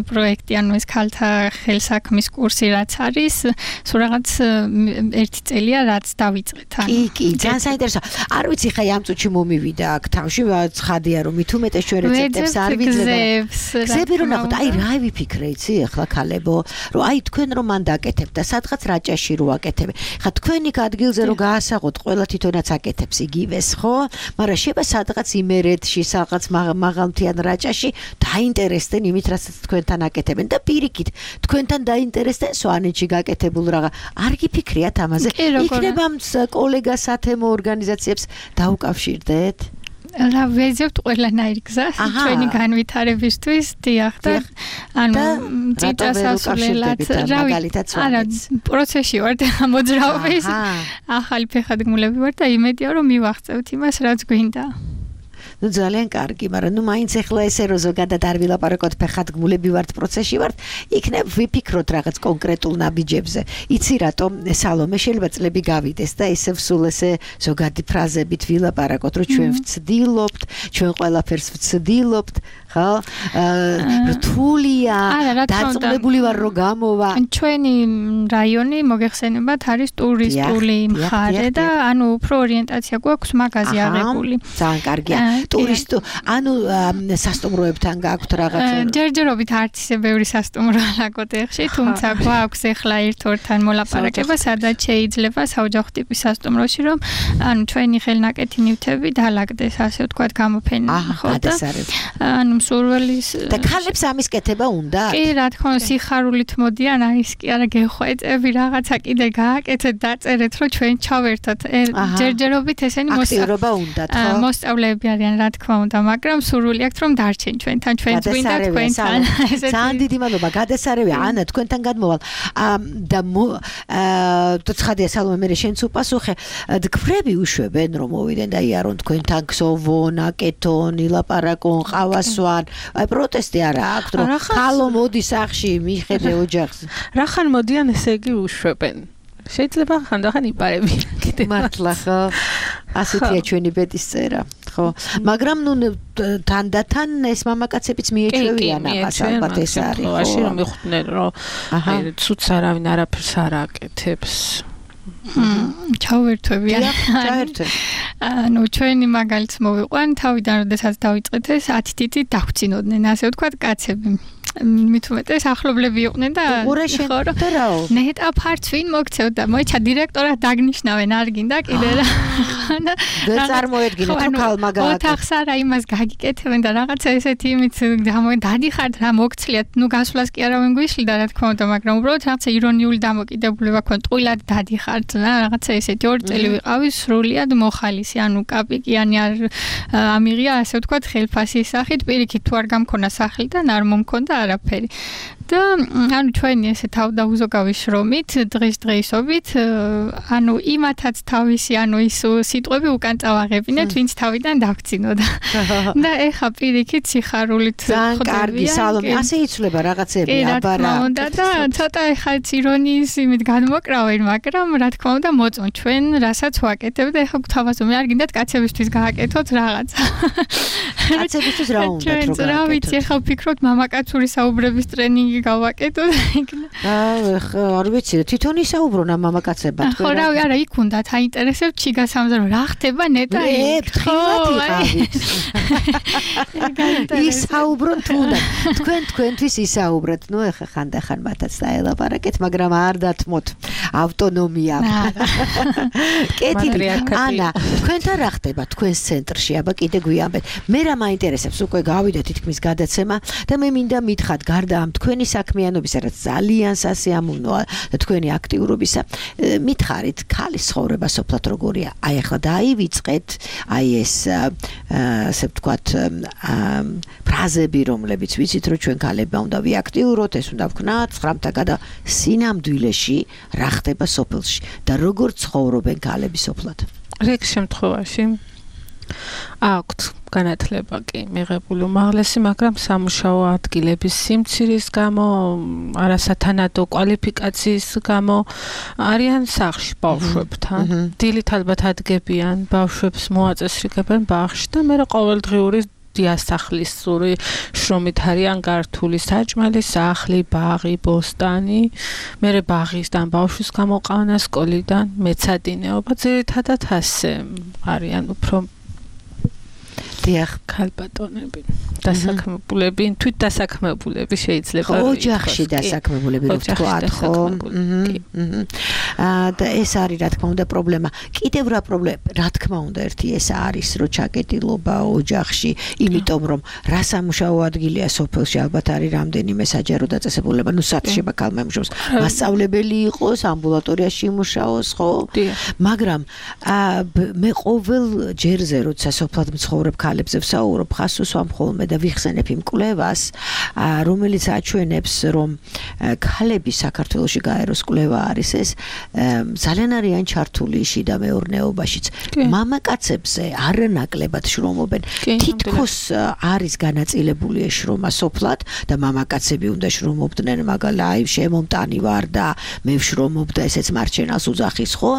პროექტი, ანუ ეს ქალთა ხელსაქმის კურსი რაც არის, სულ რაღაც ერთი წელია რაც დავიწყეთ. კი, კი, ძალიან საინტერესოა. არ ვიცი ხა ამ წუთში მომივიდა აქ თავში, ცხადია რომ მით უმეტეს ჩვენ რეცეპტებს არ ვიძლებთ. გზები რომ ნახოთ, აი რა ვიფიქრე იცი ახლა ქალებო, რომ აი თქვენ რომ მან დაკეთებთ და სადღაც რაჭაში რო აკეთებენ. ხა თქვენი ადგილზე რო გაასაღოთ, ყველა თვითონაც აკეთებს იგივეს, ხო? მაგრამ შეიძლება სადღაც იმერეთში, სადღაც მაღალმთიან რაჭაში დაინტერესდნენ იმით, რასაც თქვენთან აკეთებენ და პირიქით, თქვენთან დაინტერესდნენ სვანეთში გაკეთებულ რაღა. არ გიფიქრიათ ამაზე? იქნება კოლეგა სათემო ორგანიზაციებს დაუკავშირდეთ? რა ვეძებთ ყველანაირ გზას ჩვენი განვითარებისთვის, დიახ და ანუ წიწასასვლელად მაგალითად არა პროცესში ვარ და მოძრაობის ახალი ფეხადგმულები ვარ და იმედია რომ მივახცევთ იმას რაც გვინდა. ნუ ძალიან კარგი, მაგრამ ნუ მაინც ახლა ესე რომ ზოგადად არ ვილაპარაკოთ ფეხადგმულები ვართ პროცესში ვართ, იქნებ ვიფიქროთ რაღაც კონკრეტულ ნაბიჯებზე. იცი რატომ სალომე შეიძლება წლები გავიდეს და ესე სულ ესე ზოგადი ფრაზებით ვილაპარაკოთ, რომ ჩვენ ვცდილობთ, ჩვენ ყველაფერს ვცდილობთ, ხო? რთულია, დაწუნებული ვარ რომ გამოვა. ჩვენი რაიონი მოგეხსენებათ არის ტურისტული მხარე და ანუ უფრო ორიენტაცია გვაქვს მაგაზე აღებული. ძალიან კარგია. ტურისტო, ანუ სასტუმროებთან გაქვთ რაღაც? ჯერჯერობით არც ისე ბევრი სასტუმრო ლაგოდეხში, თუმცა გვაქვს ახლა ერთ-ორთან მოლაპარაკება, სადაც შეიძლება საოჯახო ტიპის სასტუმროში, რომ ანუ ჩვენი ხელნაკეთი ნივთები დაალაგდეს, ასე ვთქვათ, გამოფენა, ხო და ანუ მსურველის და ქალებს ამის კეთება უნდა? კი, რა თქმა უნდა, სიხარულით მოდიან, აი ის კი არა გეხვეწები, რაღაცა კიდე გააკეთეთ, დაწერეთ, რომ ჩვენ ჩავერთოთ. ჯერჯერობით ესენი აქტიურობა უნდათ, ხო? მოსწავლეები არიან, რა თქმა უნდა, მაგრამ სურვილი აქვთ რომ დარჩენ ჩვენთან, ჩვენც გვინდა თქვენთან. ძალიან დიდი მადლობა, გადასარევია ანა თქვენთან გადმოვალ. და ცხადია სალომე მე შენც უპასუხე, გფრები უშვებენ რომ მოვიდნენ და იარონ თქვენთან ქსოვონ, აკეთონ, ილაპარაკონ, ყავასვან. აი პროტესტი არა აქვს რომ ხალო მოდის სახში მიხედე ოჯახს. რახან მოდიან ესე იგი უშვებენ. შეიძლება ხანდახან იპარებიან კიდე. მართლა ხო? ასეთია ჩვენი ბედის წერა, ხო? მაგრამ ნუ თანდათან ეს მამაკაცებიც მიეჩვევიან ამას, ალბათ ეს არის, ხო? ასე რომ მიხვდნენ რომ აი ცუც არავინ არაფერს არ აკეთებს. ჩავერთვები. ჩავერთვე. ანუ ჩვენი მაგალითს მოვიყვან, თავიდან როდესაც დავიწყეთ ეს ათი თითით დავხსინოდნენ, ასე ვთქვათ, კაცები. მით უმეტეს ახლობლები იყვნენ და ხო რაო ნეტა ფარც ვინ მოგცევდა მოიცა დირექტორად დაგნიშნავენ არ გინდა კიდე რა ვერ წარმოედგინე თუ ქალმა გააკეთა ოთახს არა იმას გაგიკეთებენ და რაღაცა ესეთი იმით დადიხართ რა მოგცლიათ ნუ გასვლას კი არა ვინ გვიშლიდა რა თქმა უნდა მაგრამ უბრალოდ რაღაცა ირონიული დამოკიდებულება ქონდა ტყუილად დადიხართ რა რაღაცა ესეთი ორი წელი ვიყავი სრულიად მოხალისი ანუ კაპიკიანი არ ამიღია ასე ვთქვათ ხელფასის სახით პირიქით თუ არ გამქონა სახლიდან არ მომქონდა არაფერი და ანუ ჩვენი ესე თავდაუზოგავი შრომით დღის დღეისობით ანუ იმათაც თავისი ანუ ის სიტყვები უკან წავაღებინეთ ვინც თავიდან დავქცინოდა და ეხა პირიქით სიხარულით ხვდები კარგი სალომე ასე იცვლება რაღაცები აბარა და და ცოტა ეხა ირონიის იმით განმოკრავენ მაგრამ რა თქმა უნდა მოწონ ჩვენ რასაც ვაკეთებ და ეხა გვთავაზობენ არ გინდათ კაცებისთვის გააკეთოთ რაღაცა კაცებისთვის რა უნდა რომ რა ვიცი ეხა ვფიქრობთ მამაკაცური საუბრების ტრენინგი გავაკეთო და იქნა. აა, არ ვიცი, თვითონ ისაუბრონა მამაკაცებად. ხო, რა, არა, იქ უნდათ აინტერესებს ჩიგა სამზარო, რა ხდება ნეტა იქ. ისაუბრონ თუ უნდა. თქვენ თქვენთვის ისაუბროთ. ნუ ეხა ხანდახან მათაც დაელაპარაკეთ, მაგრამ არ დათმოთ ავტონომია. კეთილი, ანა, თქვენთან რა ხდება თქვენს ცენტრში? აბა კიდე გვიამბეთ. მე რა მაინტერესებს, უკვე გავიდა თითქმის გადაცემა და მე მინდა მითხრათ გარდა ამ თქვენი საქმიანობისა, რაც ძალიან სასიამოვნოა და თქვენი აქტიურობისა, მითხარით, ქალის ცხოვრება სოფლად როგორია? აი ახლა დაივიწყეთ, აი ეს ასე ვთქვათ, ფრაზები, რომლებიც ვიცით, რომ ჩვენ ქალებმა უნდა ვიაქტიუროთ, ეს უნდა ვქნათ, ცხრამთა გადა სინამდვილეში რა ხდება სოფელში და როგორ ცხოვრობენ ქალები სოფლად? რიგ შემთხვევაში აქვთ განათლება კი მიღებული უმაღლესი, მაგრამ სამუშაო ადგილების სიმცირის გამო, არასათანადო კვალიფიკაციის გამო არიან სახლში ბავშვებთან. დილით ალბათ ადგებიან, ბავშვებს მოაწესრიგებენ ბაღში და მე ყოველდღიური დიასახლისური შრომით არიან გართული საჭმელი, სახლი, ბაღი, ბოსტანი, მერე ბაღისთან ბავშვის გამოყავნა სკოლიდან, მეცადინეობა, ძირითადად ასე არიან უფრო დიახ, ქალბატონები, დასაქმებულები, თვით დასაქმებულები შეიძლება ოჯახში დასაქმებულები რო ვთქვათ, ხო? აა და ეს არის რა თქმა უნდა პრობლემა. კიდევ რა პრობლემა, რა თქმა უნდა, ერთი ეს არის, რომ ჩაკეტილობა ოჯახში, იმიტომ რომ რა სამუშაო ადგილია სოფელში, ალბათ არის რამდენიმე საჯარო დაწესებულება, ნუ სათშება ქალმა იმუშაოს, მასწავლებელი იყოს, ამბულატორიაში იმუშაოს, ხო? მაგრამ მე ყოველ ჯერზე როცა სოფლად მცხოვრებ ქალებზე ვსაუბრობ, ხას უსვამ ხოლმე და ვიხსენებ იმ კვლევას, რომელიც აჩვენებს, რომ ქალები საქართველოში გაეროს კვლევა არის ეს, ძალიან არიან ჩართული შიდა მეურნეობაშიც. მამაკაცებზე არანაკლებად შრომობენ. თითქოს არის განაწილებული ეს შრომა სოფლად და მამაკაცები უნდა შრომობდნენ, მაგალითად, აი შემომტანი ვარ და მე ვშრომობ და ესეც მარჩენას უძახის, ხო?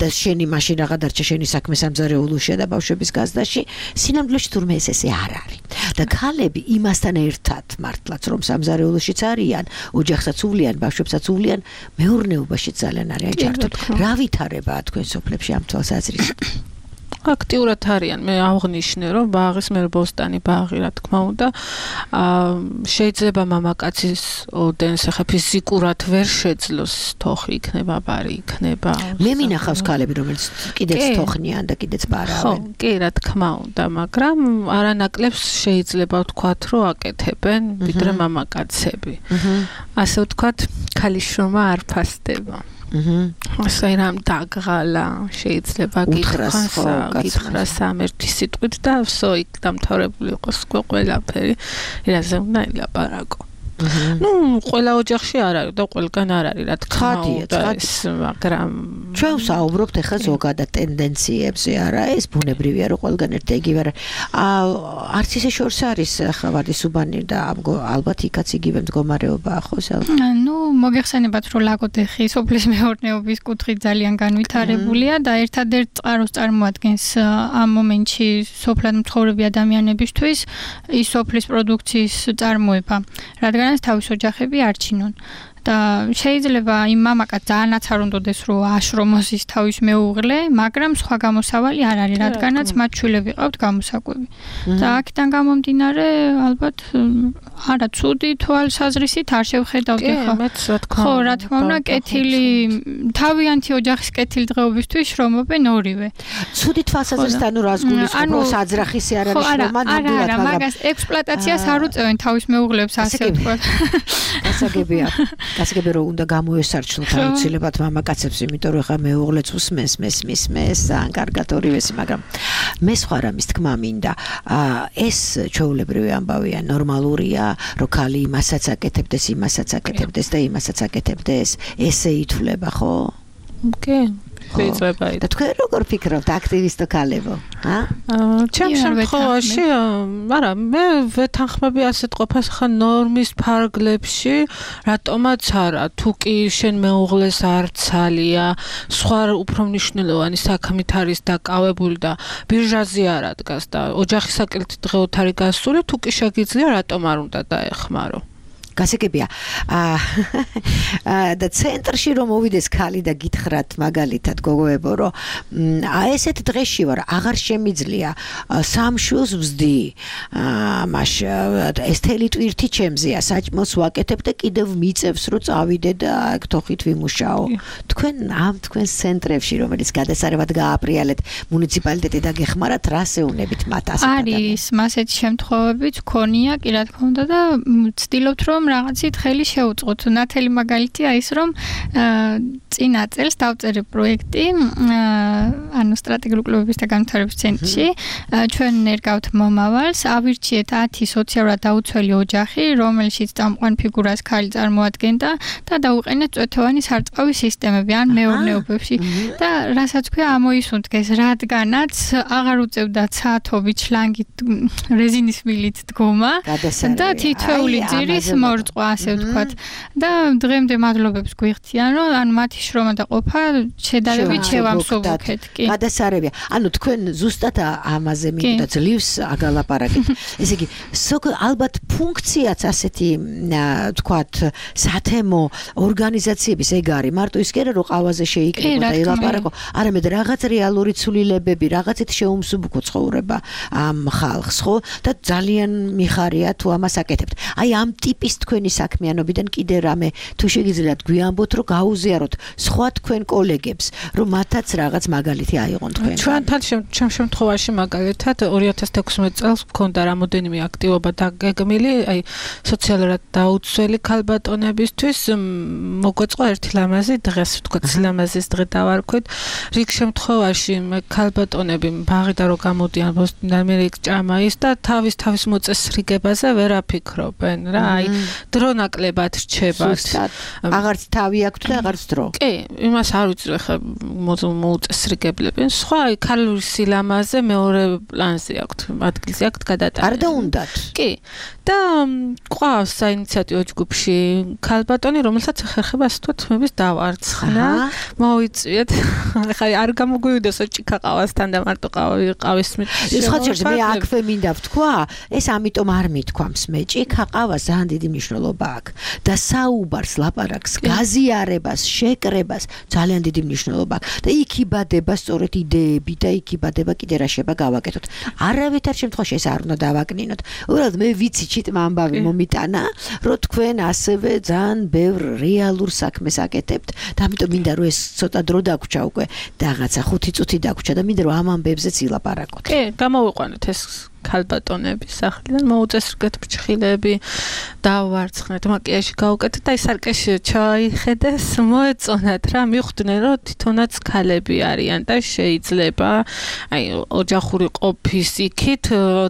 და შენი მაშინ რაღა დარჩა შენი საქმე სამზარეულოშია და ბავშვების გაზდაში სინამდვილეში თურმე ეს ესე არ არის. და ქალები იმასთან ერთად მართლაც რომ სამზარეულოშიც არიან, ოჯახსაც უვლიან, ბავშვებსაც უვლიან, მეურნეობაში ძალიან არიან ჩართული. რა ვითარებაა თქვენ სოფლებში ამ თვალსაზრისით? აქტიურად არიან. მე აღნიშნე, რომ ბაღის მე ბოსტანი ბაღი, რა თქმა უნდა, შეიძლება მამაკაცის ოდენს ახლა ფიზიკურად ვერ შეძლოს, თოხი იქნება, ბარი იქნება. მე მინახავს ქალები, რომელიც კიდეც თოხნიან და კიდეც ბარავენ. ხო, კი, რა თქმა უნდა, მაგრამ არანაკლებს შეიძლება ვთქვათ, რომ აკეთებენ ვიდრე მამაკაცები. ასე ვთქვათ, ქალის შრომა არ ფასდება. აჰა. ასე რამ დაგღალა შეიძლება გითხრას, გითხრას ამ ერთი სიტყვით და ვსო იქ დამთავრებული იყოს ყველაფერი, რაზე უნდა ელაპარაკო. ნუ ყველა ოჯახში არ არის და ყველგან არ არის, რა თქმა უნდა, ეს, მაგრამ ჩვენ ვსაუბრობთ ახლა ზოგადად ტენდენციებზე, არა, ეს ბუნებრივია, რომ ყველგან ერთი იგივე არა. არც ისე შორს არის ახლა ვარდისუბანი და ალბათ იქაც იგივე მდგომარეობაა, ხო, სალ? ნუ მოგეხსენებათ, რომ ლაგოდეხი სოფლის მეურნეობის კუთხით ძალიან განვითარებულია და ერთადერთ წყაროს წარმოადგენს ამ მომენტში სოფლად მცხოვრები ადამიანებისთვის ის სოფლის პროდუქციის წარმოება, რადგან თავის ოჯახები არჩინონ. და შეიძლება იმ მამაკაც ძალიანაც არ უნდადეს რომ აშრომოს ის თავის მეუღლე, მაგრამ სხვა გამოსავალი არ არის, რადგანაც მათ შვილები ყავთ გამოსაკვები. და აქედან გამომდინარე, ალბათ არა ცუდი თვალსაზრისით არ შევხედავდი ხო? ხო, რა თქმა უნდა, კეთილი თავიანთი ოჯახის კეთილდღეობისთვის შრომობენ ორივე. ცუდი თვალსაზრისით ანუ რას გულისხმობ, რომ საძრახისი არ არის შრომა ნამდვილად, მაგრამ მაგას ექსპლუატაციას არ უწევენ თავის მეუღლებს, ასე ვთქვათ. გასაგებია. გასაგებია რომ უნდა გამოესარჩნოთ აუცილებლად მამაკაცებს, იმიტომ რომ ხა მეუღლეც უსმენს, მესმის, მეს ძალიან კარგად ორივესი, მაგრამ მე სხვა რამის თქმა მინდა. ეს ჩვეულებრივი ამბავია, ნორმალურია, რომ ქალი იმასაც აკეთებდეს, იმასაც აკეთებდეს და იმასაც აკეთებდეს, ესე ითვლება, ხო? კი. შეიძლება ის. და თქვენ როგორ ფიქრობთ აქტივისტო ქალებო? ა? ჩემ შემთხვევაში, არა, მე ვეთანხმები ასეთ ყოფას ხა ნორმის ფარგლებში, რატომაც არა, თუ კი შენ მეუღლეს არ ცალია, სხვა უფრო მნიშვნელოვანი საქმით არის დაკავებული და ბირჟაზე არ ადგას და ოჯახის საკეთილდღეოდ არის გასული, თუ კი შეგიძლია, რატომ არ უნდა დაეხმარო? გასაგებია. აა და ცენტრში რომ მოვიდეს ქალი და გითხრათ მაგალითად გოგოებო, რომ აი ესეთ დღეში ვარ, აღარ შემიძლია სამშვილს ვზდი. აა მაშ ეს თელი ტვირთი ჩემზეა, საჭმელს ვაკეთებ და კიდევ მიწევს რომ წავიდე და აქ თოხით ვიმუშაო. თქვენ ამ თქვენს ცენტრებში, რომელიც გადასარევად გააპრიალეთ მუნიციპალიტეტი და გეხმარათ, რას ეუბნებით მათ ასეთ ადამიანებს? არის მასეთი შემთხვევებიც ქონია, კი რა თქმა უნდა და ვცდილობთ რომ რაღაცით ხელი შეუწყოთ. ნათელი მაგალითია ის, რომ წინა წელს დავწერე პროექტი, ანუ სტრატეგიული კლუბების და განვითარების ცენტრში. ჩვენ ნერგავთ მომავალს, ავირჩიეთ ათი სოციალურად დაუცველი ოჯახი, რომელშიც წამყვან ფიგურას ქალი წარმოადგენდა და დაუყენეთ წვეთოვანი სარწყავი სისტემები ან მეურნეობებში. და რასაც ქვია ამოისუნთქეს, რადგანაც აღარ უწევდა ცათობით, შლანგით, რეზინის მილით დგომა და თითოეული ძირის მორწყვა, ასე ვთქვათ. და დღემდე მადლობებს გვიხდიან, რომ ანუ მათი შრომა და ყოფა შედარებით შევამსუბუქეთ. კი. გადასარევია. ანუ თქვენ ზუსტად ამაზე მინდა ძლივს აგალაპარაკეთ. ესე იგი, ალბათ ფუნქციაც ასეთი ვთქვათ, სათემო ორგანიზაციების ეგ არის. მარტო ის კი არა, რომ ყავაზე შეიკრიბო და ელაპარაკო, არამედ რაღაც რეალური ცვლილებები, რაღაცით შეუმსუბუქო ცხოვრება ამ ხალხს, ხო? და ძალიან მიხარია თუ ამას აკეთებთ. აი ამ ტიპის თქვენი საქმიანობიდან კიდე რამე თუ შეგიძლიათ გვიამბოთ, რომ გაუზიაროთ სხვა თქვენ კოლეგებს, რომ მათაც რაღაც მაგალითი აიღონ თქვენ. ჩვენთან ჩემ შემთხვევაში მაგალითად ორი ათას თექვსმეტ წელს მქონდა რამოდენიმე აქტივობა დაგეგმილი, აი სოციალურად დაუცველი ქალბატონებისთვის მოგვეწყო ერთი ლამაზი დღეს, ვთქვათ, ლამაზის დღე დავარქვით. რიგ შემთხვევაში ქალბატონები ბაღიდან რო გამოდიან ბოსტნიდან მე იქ ჭამა ის და თავის თავის მოწესრიგებაზე ვერ აფიქრობენ რა. აი დრო ნაკლებად რჩებათ. აღარც თავი აქვთ და აღარც დრო. კი, იმას არ ვიცი ხა მოუწესრიგებლებენ. სხვა ქალური სილამაზე მეორე პლანზე აქვთ, ადგილზე აქვთ გადატანა. არ დაუნდათ. კი. და ყავს საინიციატივო ჯგუფში ქალბატონი, რომელსაც ეხერხება ასე ვთქვათ, მების დავარცხნა. მოიწვიეთ. ხა არ გამოგვივიდეს ჭიქა ყავასთან და მარტო ყავის მით. სხვა ჯერზე მე აქვე მინდა ვთქვა, ეს ამიტომ არ მithქვამს მე ჭიქა ყავა ძალიან დიდი მნიშვნელობა აქვს და საუბარს, ლაპარაკს, გაზიარებას, შეკრებას ძალიან დიდი მნიშვნელობა აქვს და იქ იბადება სწორედ იდეები და იქ იბადება კიდე რა შეიძლება გავაკეთოთ. არავითარ შემთხვევაში ეს არ უნდა დავაკნინოთ. უბრალოდ მე ვიცი ჩიტმა ამბავი მომიტანა, რომ თქვენ ასევე ძალიან ბევრ რეალურ საქმეს აკეთებთ და ამიტომ მინდა რომ ეს ცოტა დრო დაგვრჩა უკვე და რაღაცა ხუთი წუთი დაგვრჩა და მინდა რომ ამ ამბებზეც ილაპარაკოთ. კი, გამოვიყვანოთ ეს ქალბატონების სახლიდან მოუწესრიგეთ ფრჩხილები, დავარცხნეთ, მაკიაჟი გავუკეთეთ და ის სარკეში ჩაიხედეს, მოეწონათ რა, მიხვდნენ რომ თვითონაც ქალები არიან და შეიძლება აი ოჯახური ყოფის იქით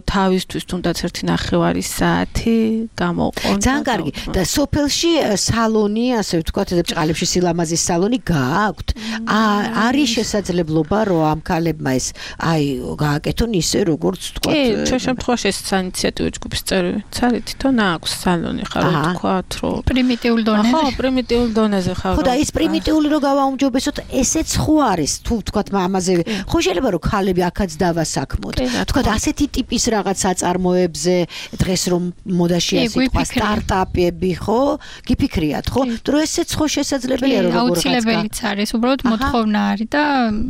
თავისთვის თუნდაც ერთი ნახევარი საათი გამოყონ. ძალიან კარგი. და სოფელში სალონი, ასე ვთქვათ, ბჭყალებში სილამაზის სალონი გააქვთ. არის შესაძლებლობა რომ ამ ქალებმა ეს აი გააკეთონ ისე როგორც ვთქვათ ჩვენ შემთხვევაში ეს საინიციატივო ჯგუფის წევრიც არის, თვითონ აქვს სალონი ხარ რომ თქვათ, რომ პრიმიტიულ დონეზე. ხო, პრიმიტიულ დონეზე ხარ. ხო და ის პრიმიტიული რო გავაუმჯობესოთ, ესეც ხო არის, თუ თქვათ ამაზე, ხო შეიძლება რომ ქალები აქაც დავასაქმოთ. თქვათ ასეთი ტიპის რაღაც აწარმოებზე დღეს რომ მოდაშია სიტყვა სტარტაპები, ხო? გიფიქრიათ, ხო? თუ ესეც ხო შესაძლებელია რომ როგორ რაღაცა. აუცილებელიც არის, უბრალოდ მოთხოვნა არის და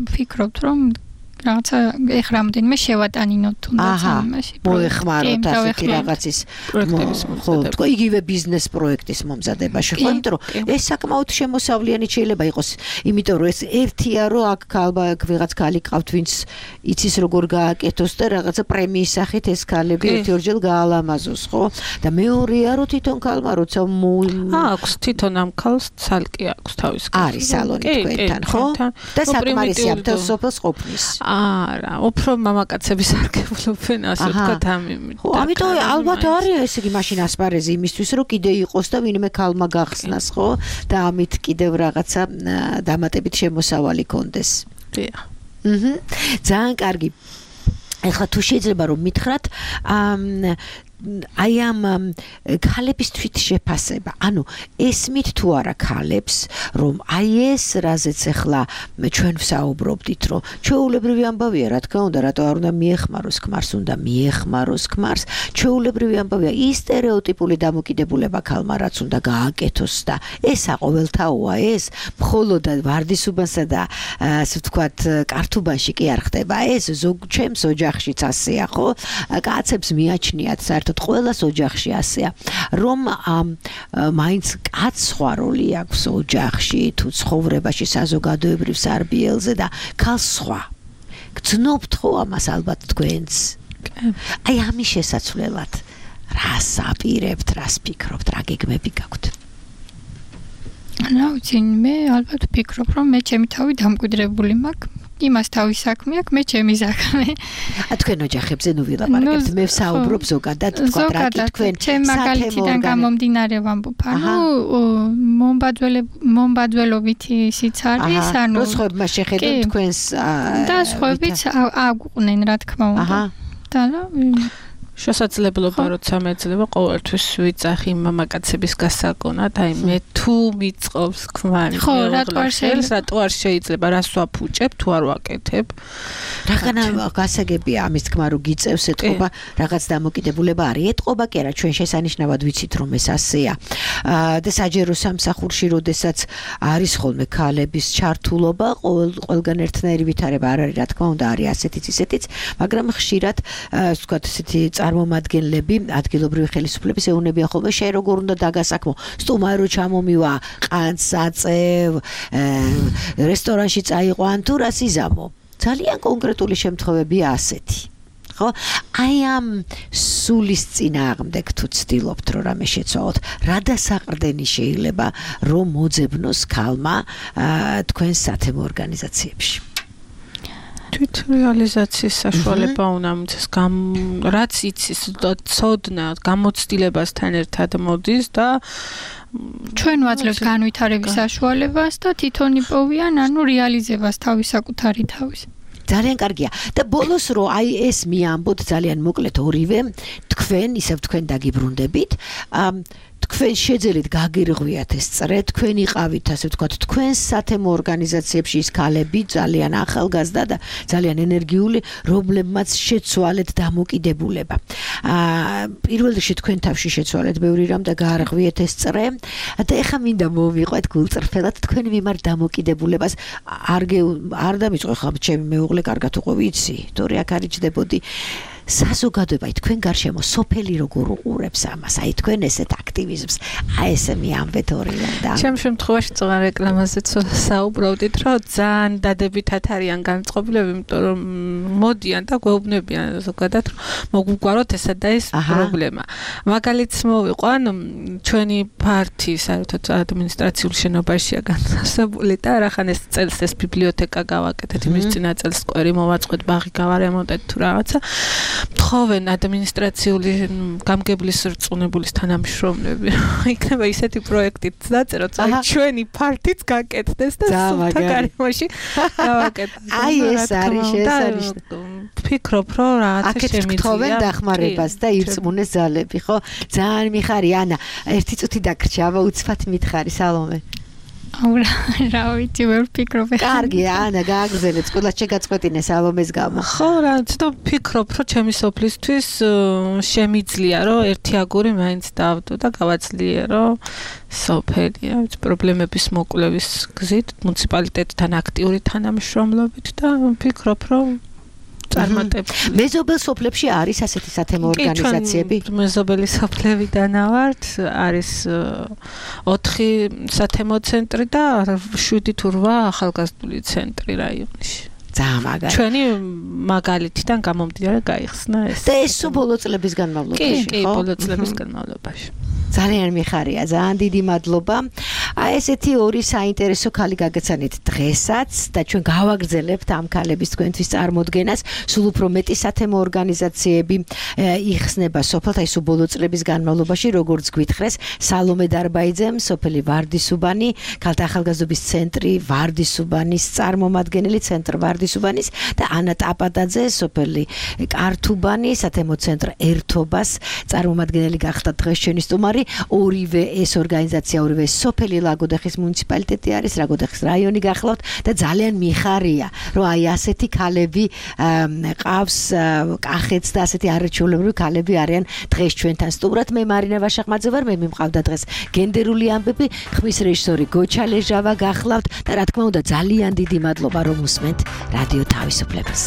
ვფიქრობთ რომ რაღაცა ეხ რამდენიმე შევატანინოთ თუნდაც ამაში. მოეხმაროთ ასეთი რაღაცის ხო, თქო იგივე ბიზნეს პროექტის მომზადებაში, ხო, იმიტომ რომ ეს საკმაოდ შემოსავლიანი შეიძლება იყოს, იმიტომ რომ ეს ერთია რომ აქ ქალბა ვიღაც ქალი ყავთ, ვინც იცის როგორ გააკეთოს და რაღაცა პრემიის სახით ეს ქალები ერთი-ორჯერ გაალამაზოს, ხო? და მეორეა რომ თვითონ ქალმა როცა აქვს თვითონ ამ ქალს ცალკე აქვს თავის ქალს. არის სალონი თქვენთან, ხო? და საკმარისია მთელ სოფელს ყოფნის. არა, უფრო მამაკაცების არგებულობენ ასე ვთქვათ ამ იმით. ხო, ამიტომ ალბათ არის ესე იგი მაშინ ასპარეზი იმისთვის რომ კიდე იყოს და ვინმე ქალმა გახსნას, ხო? და ამით კიდევ რაღაცა დამატებით შემოსავალი კონდეს. დიახ. აჰა. ძალიან კარგი. ეხლა თუ შეიძლება რომ მითხრათ, აი ამ ქალების თვითშეფასება. ანუ ესმით თუ არა ქალებს, რომ აი ეს რაზეც ახლა ჩვენ ვსაუბრობდით, რომ ჩვეულებრივი ამბავია, რა თქმა უნდა, რატო არ უნდა მიეხმაროს ქმარს, უნდა მიეხმაროს ქმარს. ჩვეულებრივი ამბავია, ის სტერეოტიპული დამოკიდებულება ქალმა რაც უნდა გააკეთოს და ესა ყოველთაოა ეს, მხოლოდ ვარდისუბანსა და ასე ვთქვათ, კართუბანში კი არ ხდება ეს, ზოგ ჩემს ოჯახშიც ასეა, ხო? კაცებს მიაჩნიათ საერთოდ ყველას ოჯახში ასეა, რომ მაინც კაცს სხვა როლი აქვს ოჯახში, თუ ცხოვრებაში საზოგადოებრივ სარბიელზე და ქალს სხვა. გძნობთ ხო ამას ალბათ თქვენც? აი ამის შესაცვლელად რას აპირებთ, რას ფიქრობთ, რა გეგმები გაქვთ? რა ვიცი, მე ალბათ ვფიქრობ, რომ მე ჩემი თავი დამკვიდრებული მაქვს. იმას თავის საქმე აქვს, მე ჩემი საქმე. ა თქვენ ოჯახებზე ნუ ვილაპარაკებთ, მე ვსაუბრობ ზოგადად, თქვა რა კი თქვენ ჩემ მაგალითიდან გამომდინარე ვამბობ, ანუ მომბადველობითი ისიც არის, ანუ რო სხვებმა შეხედოთ თქვენს და სხვებიც აგვყვნენ, რა თქმა უნდა. და რა შესაძლებლობა როცა მეძლება ყოველთვის ვიწახი მამაკაცების გასაკონად, აი მე თუ მიწყობს ქმარი ხელს, რატო არ შეიძლება რას ვაფუჭებ, თუ არ ვაკეთებ. რაღაცა გასაგებია ამის თქმა რომ გიწევს ეთყობა, რაღაც დამოკიდებულება არის. ეთყობა კი არა, ჩვენ შესანიშნავად ვიცით რომ ეს ასეა. და საჯერო სამსახურში როდესაც არის ხოლმე ქალების ჩართულობა, ყველგან ერთნაირი ვითარება არ არის, რა თქმა უნდა, არის ასეთიც ისეთიც, მაგრამ ხშირად ვთქვათ ესეთი წარმომადგენლები, ადგილობრივი ხელისუფლების ეუბნებიან ხოლმე, შენ როგორ უნდა დაგასაქმო, სტუმარი რო ჩამომივა, ყანწს აწევ, რესტორანში წაიყო, ან თუ რას იზამო. ძალიან კონკრეტული შემთხვევებია ასეთი. ხო? აი ამ სულის წინააღმდეგ თუ ცდილობთ რომ რამე შეცვალოთ, რა დასაყრდენი შეიძლება რომ მოძებნოს ქალმა თქვენ სათემო ორგანიზაციებში? თვით რეალიზაციის საშუალება უნდა მიცეს, რაც იცის, ცოდნა გამოცდილებასთან ერთად მოდის და ჩვენ ვაძლევთ განვითარების საშუალებას და თვითონ იპოვიან, ანუ რეალიზებას თავის საკუთარი თავის. ძალიან კარგია. და ბოლოს რო აი ეს მიამბოთ ძალიან მოკლედ ორივე, თქვენ ისევ თქვენ დაგიბრუნდებით, თქვენ შეძელით გაგირღვიათ ეს წრე, თქვენ იყავით ასე ვთქვათ, თქვენ სათემო ორგანიზაციებში ის ქალები ძალიან ახალგაზრდა და ძალიან ენერგიული, რომლებმაც შეცვალეთ დამოკიდებულება. აა პირველ რიგში თქვენ თავში შეცვალეთ ბევრი რამ და გაარღვიეთ ეს წრე და ეხა მინდა მოვიყვეთ გულწრფელად თქვენი მიმართ დამოკიდებულებას არ არ დამიწყო ხა ჩემი მეუღლე კარგად უყო ვიცი, თორე აქ არ იჯდებოდი. საზოგადოება თქვენ გარშემო სოფელი როგორ უყურებს ამას, აი თქვენ ესეთ აქტივიზმს, აი ესე მიამბეთ ორივე და ჩემ შემთხვევაში წაღარ რეკლამაზე საუბრობდით, რომ ძალიან დადებითად არიან განწყობილები, იმიტომ რომ მოდიან და გვეუბნებიან ზოგადად, რომ მოგვიგვაროთ ესა და ეს პრობლემა. მაგალითს მოვიყვან, ჩვენი ფართი საერთოდ ადმინისტრაციულ შენობაშია განთავსებული და რახან ეს წელს ეს ბიბლიოთეკა გავაკეთეთ, იმის წინა წელს სკვერი მოვაწყვეთ, ბაღი გავარემონტეთ თუ რაღაცა. თხოვენ ადმინისტრაციული გამგებლის რწმუნებულის თანამშრომლები. იქნება ისეთი პროექტით დაწეროთ, აი ჩვენი ფართიც გაკეთდეს და სულთა გარემოში გავაკეთოთ. აი ეს არის შესანიშნავი. ფიქრობ, რომ რაღაცა შემიძლია. თხოვენ დახმარებას და ირწმუნეს ძალები, ხო? ძალიან მიხარია, ანა. ერთი წუთი დაგრჩა, აბა უცბად მითხარი, სალომე. აურა, რა ვიცი, ვერ ვფიქრობ. კარგია, ანა, გააგრძელეთ, ყველა შეგაწყვეტინე სალომეს გამო. ხო, რა, ცოტა ვფიქრობ, რომ ჩემი სოფლისთვის შემიძლია, რომ ერთი აგური მაინც დავდო და გავაძლიერო სოფელი, რა ვიცი, პრობლემების მოკვლევის გზით, მუნიციპალიტეტთან აქტიური თანამშრომლობით და ვფიქრობ, რომ წარმატებული. მეზობელ სოფლებში არის ასეთი სათემო ორგანიზაციები? მეზობელი სოფლებიდან ვართ, არის ოთხი სათემო ცენტრი და შვიდი თუ რვა ახალგაზრდული ცენტრი რაიონში. ძალიან მაგარი. ჩვენი მაგალითიდან გამომდინარე გაიხსნა ეს. და ეს ბოლო წლების განმავლობაში, ხო? კი, ბოლო წლების განმავლობაში. ძალიან მიხარია, ძალიან დიდი მადლობა. აი ესეთი ორი საინტერესო ქალი გაგეცანით დღესაც და ჩვენ გავაგრძელებთ ამ ქალების თქვენთვის წარმოდგენას. სულ უფრო მეტი სათემო ორგანიზაციები იხსნება სოფელთა ის ბოლო წლების განმავლობაში, როგორც გვითხრეს, სალომე დარბაიძემ, სოფელი ვარდისუბანი, ქალთა ახალგაზრდობის ცენტრი ვარდისუბანის წარმომადგენელი, ცენტრ ვარდისუბანის და ანა ტაპატაძე, სოფელი კართუბანი, სათემო ცენტრ ერთობას წარმომადგენელი გახდა დღეს ჩვენი სტუმარი. ორივე ეს ორგანიზაცია, ორივე სოფელი ლაგოდეხის მუნიციპალიტეტი არის, ლაგოდეხის რაიონი გახლავთ და ძალიან მიხარია, რომ აი ასეთი ქალები ყავს, კახეთს და ასეთი არაჩვეულებრივი ქალები არიან დღეს ჩვენთან სტუმრად. მე მარინა ვაშახმაძე ვარ, მე მიმყავდა დღეს გენდერული ამბები, ხმის რეჟისორი გოჩა ლეჟავა გახლავთ და რა თქმა უნდა ძალიან დიდი მადლობა რომ უსმენთ რადიო თავისუფლებას.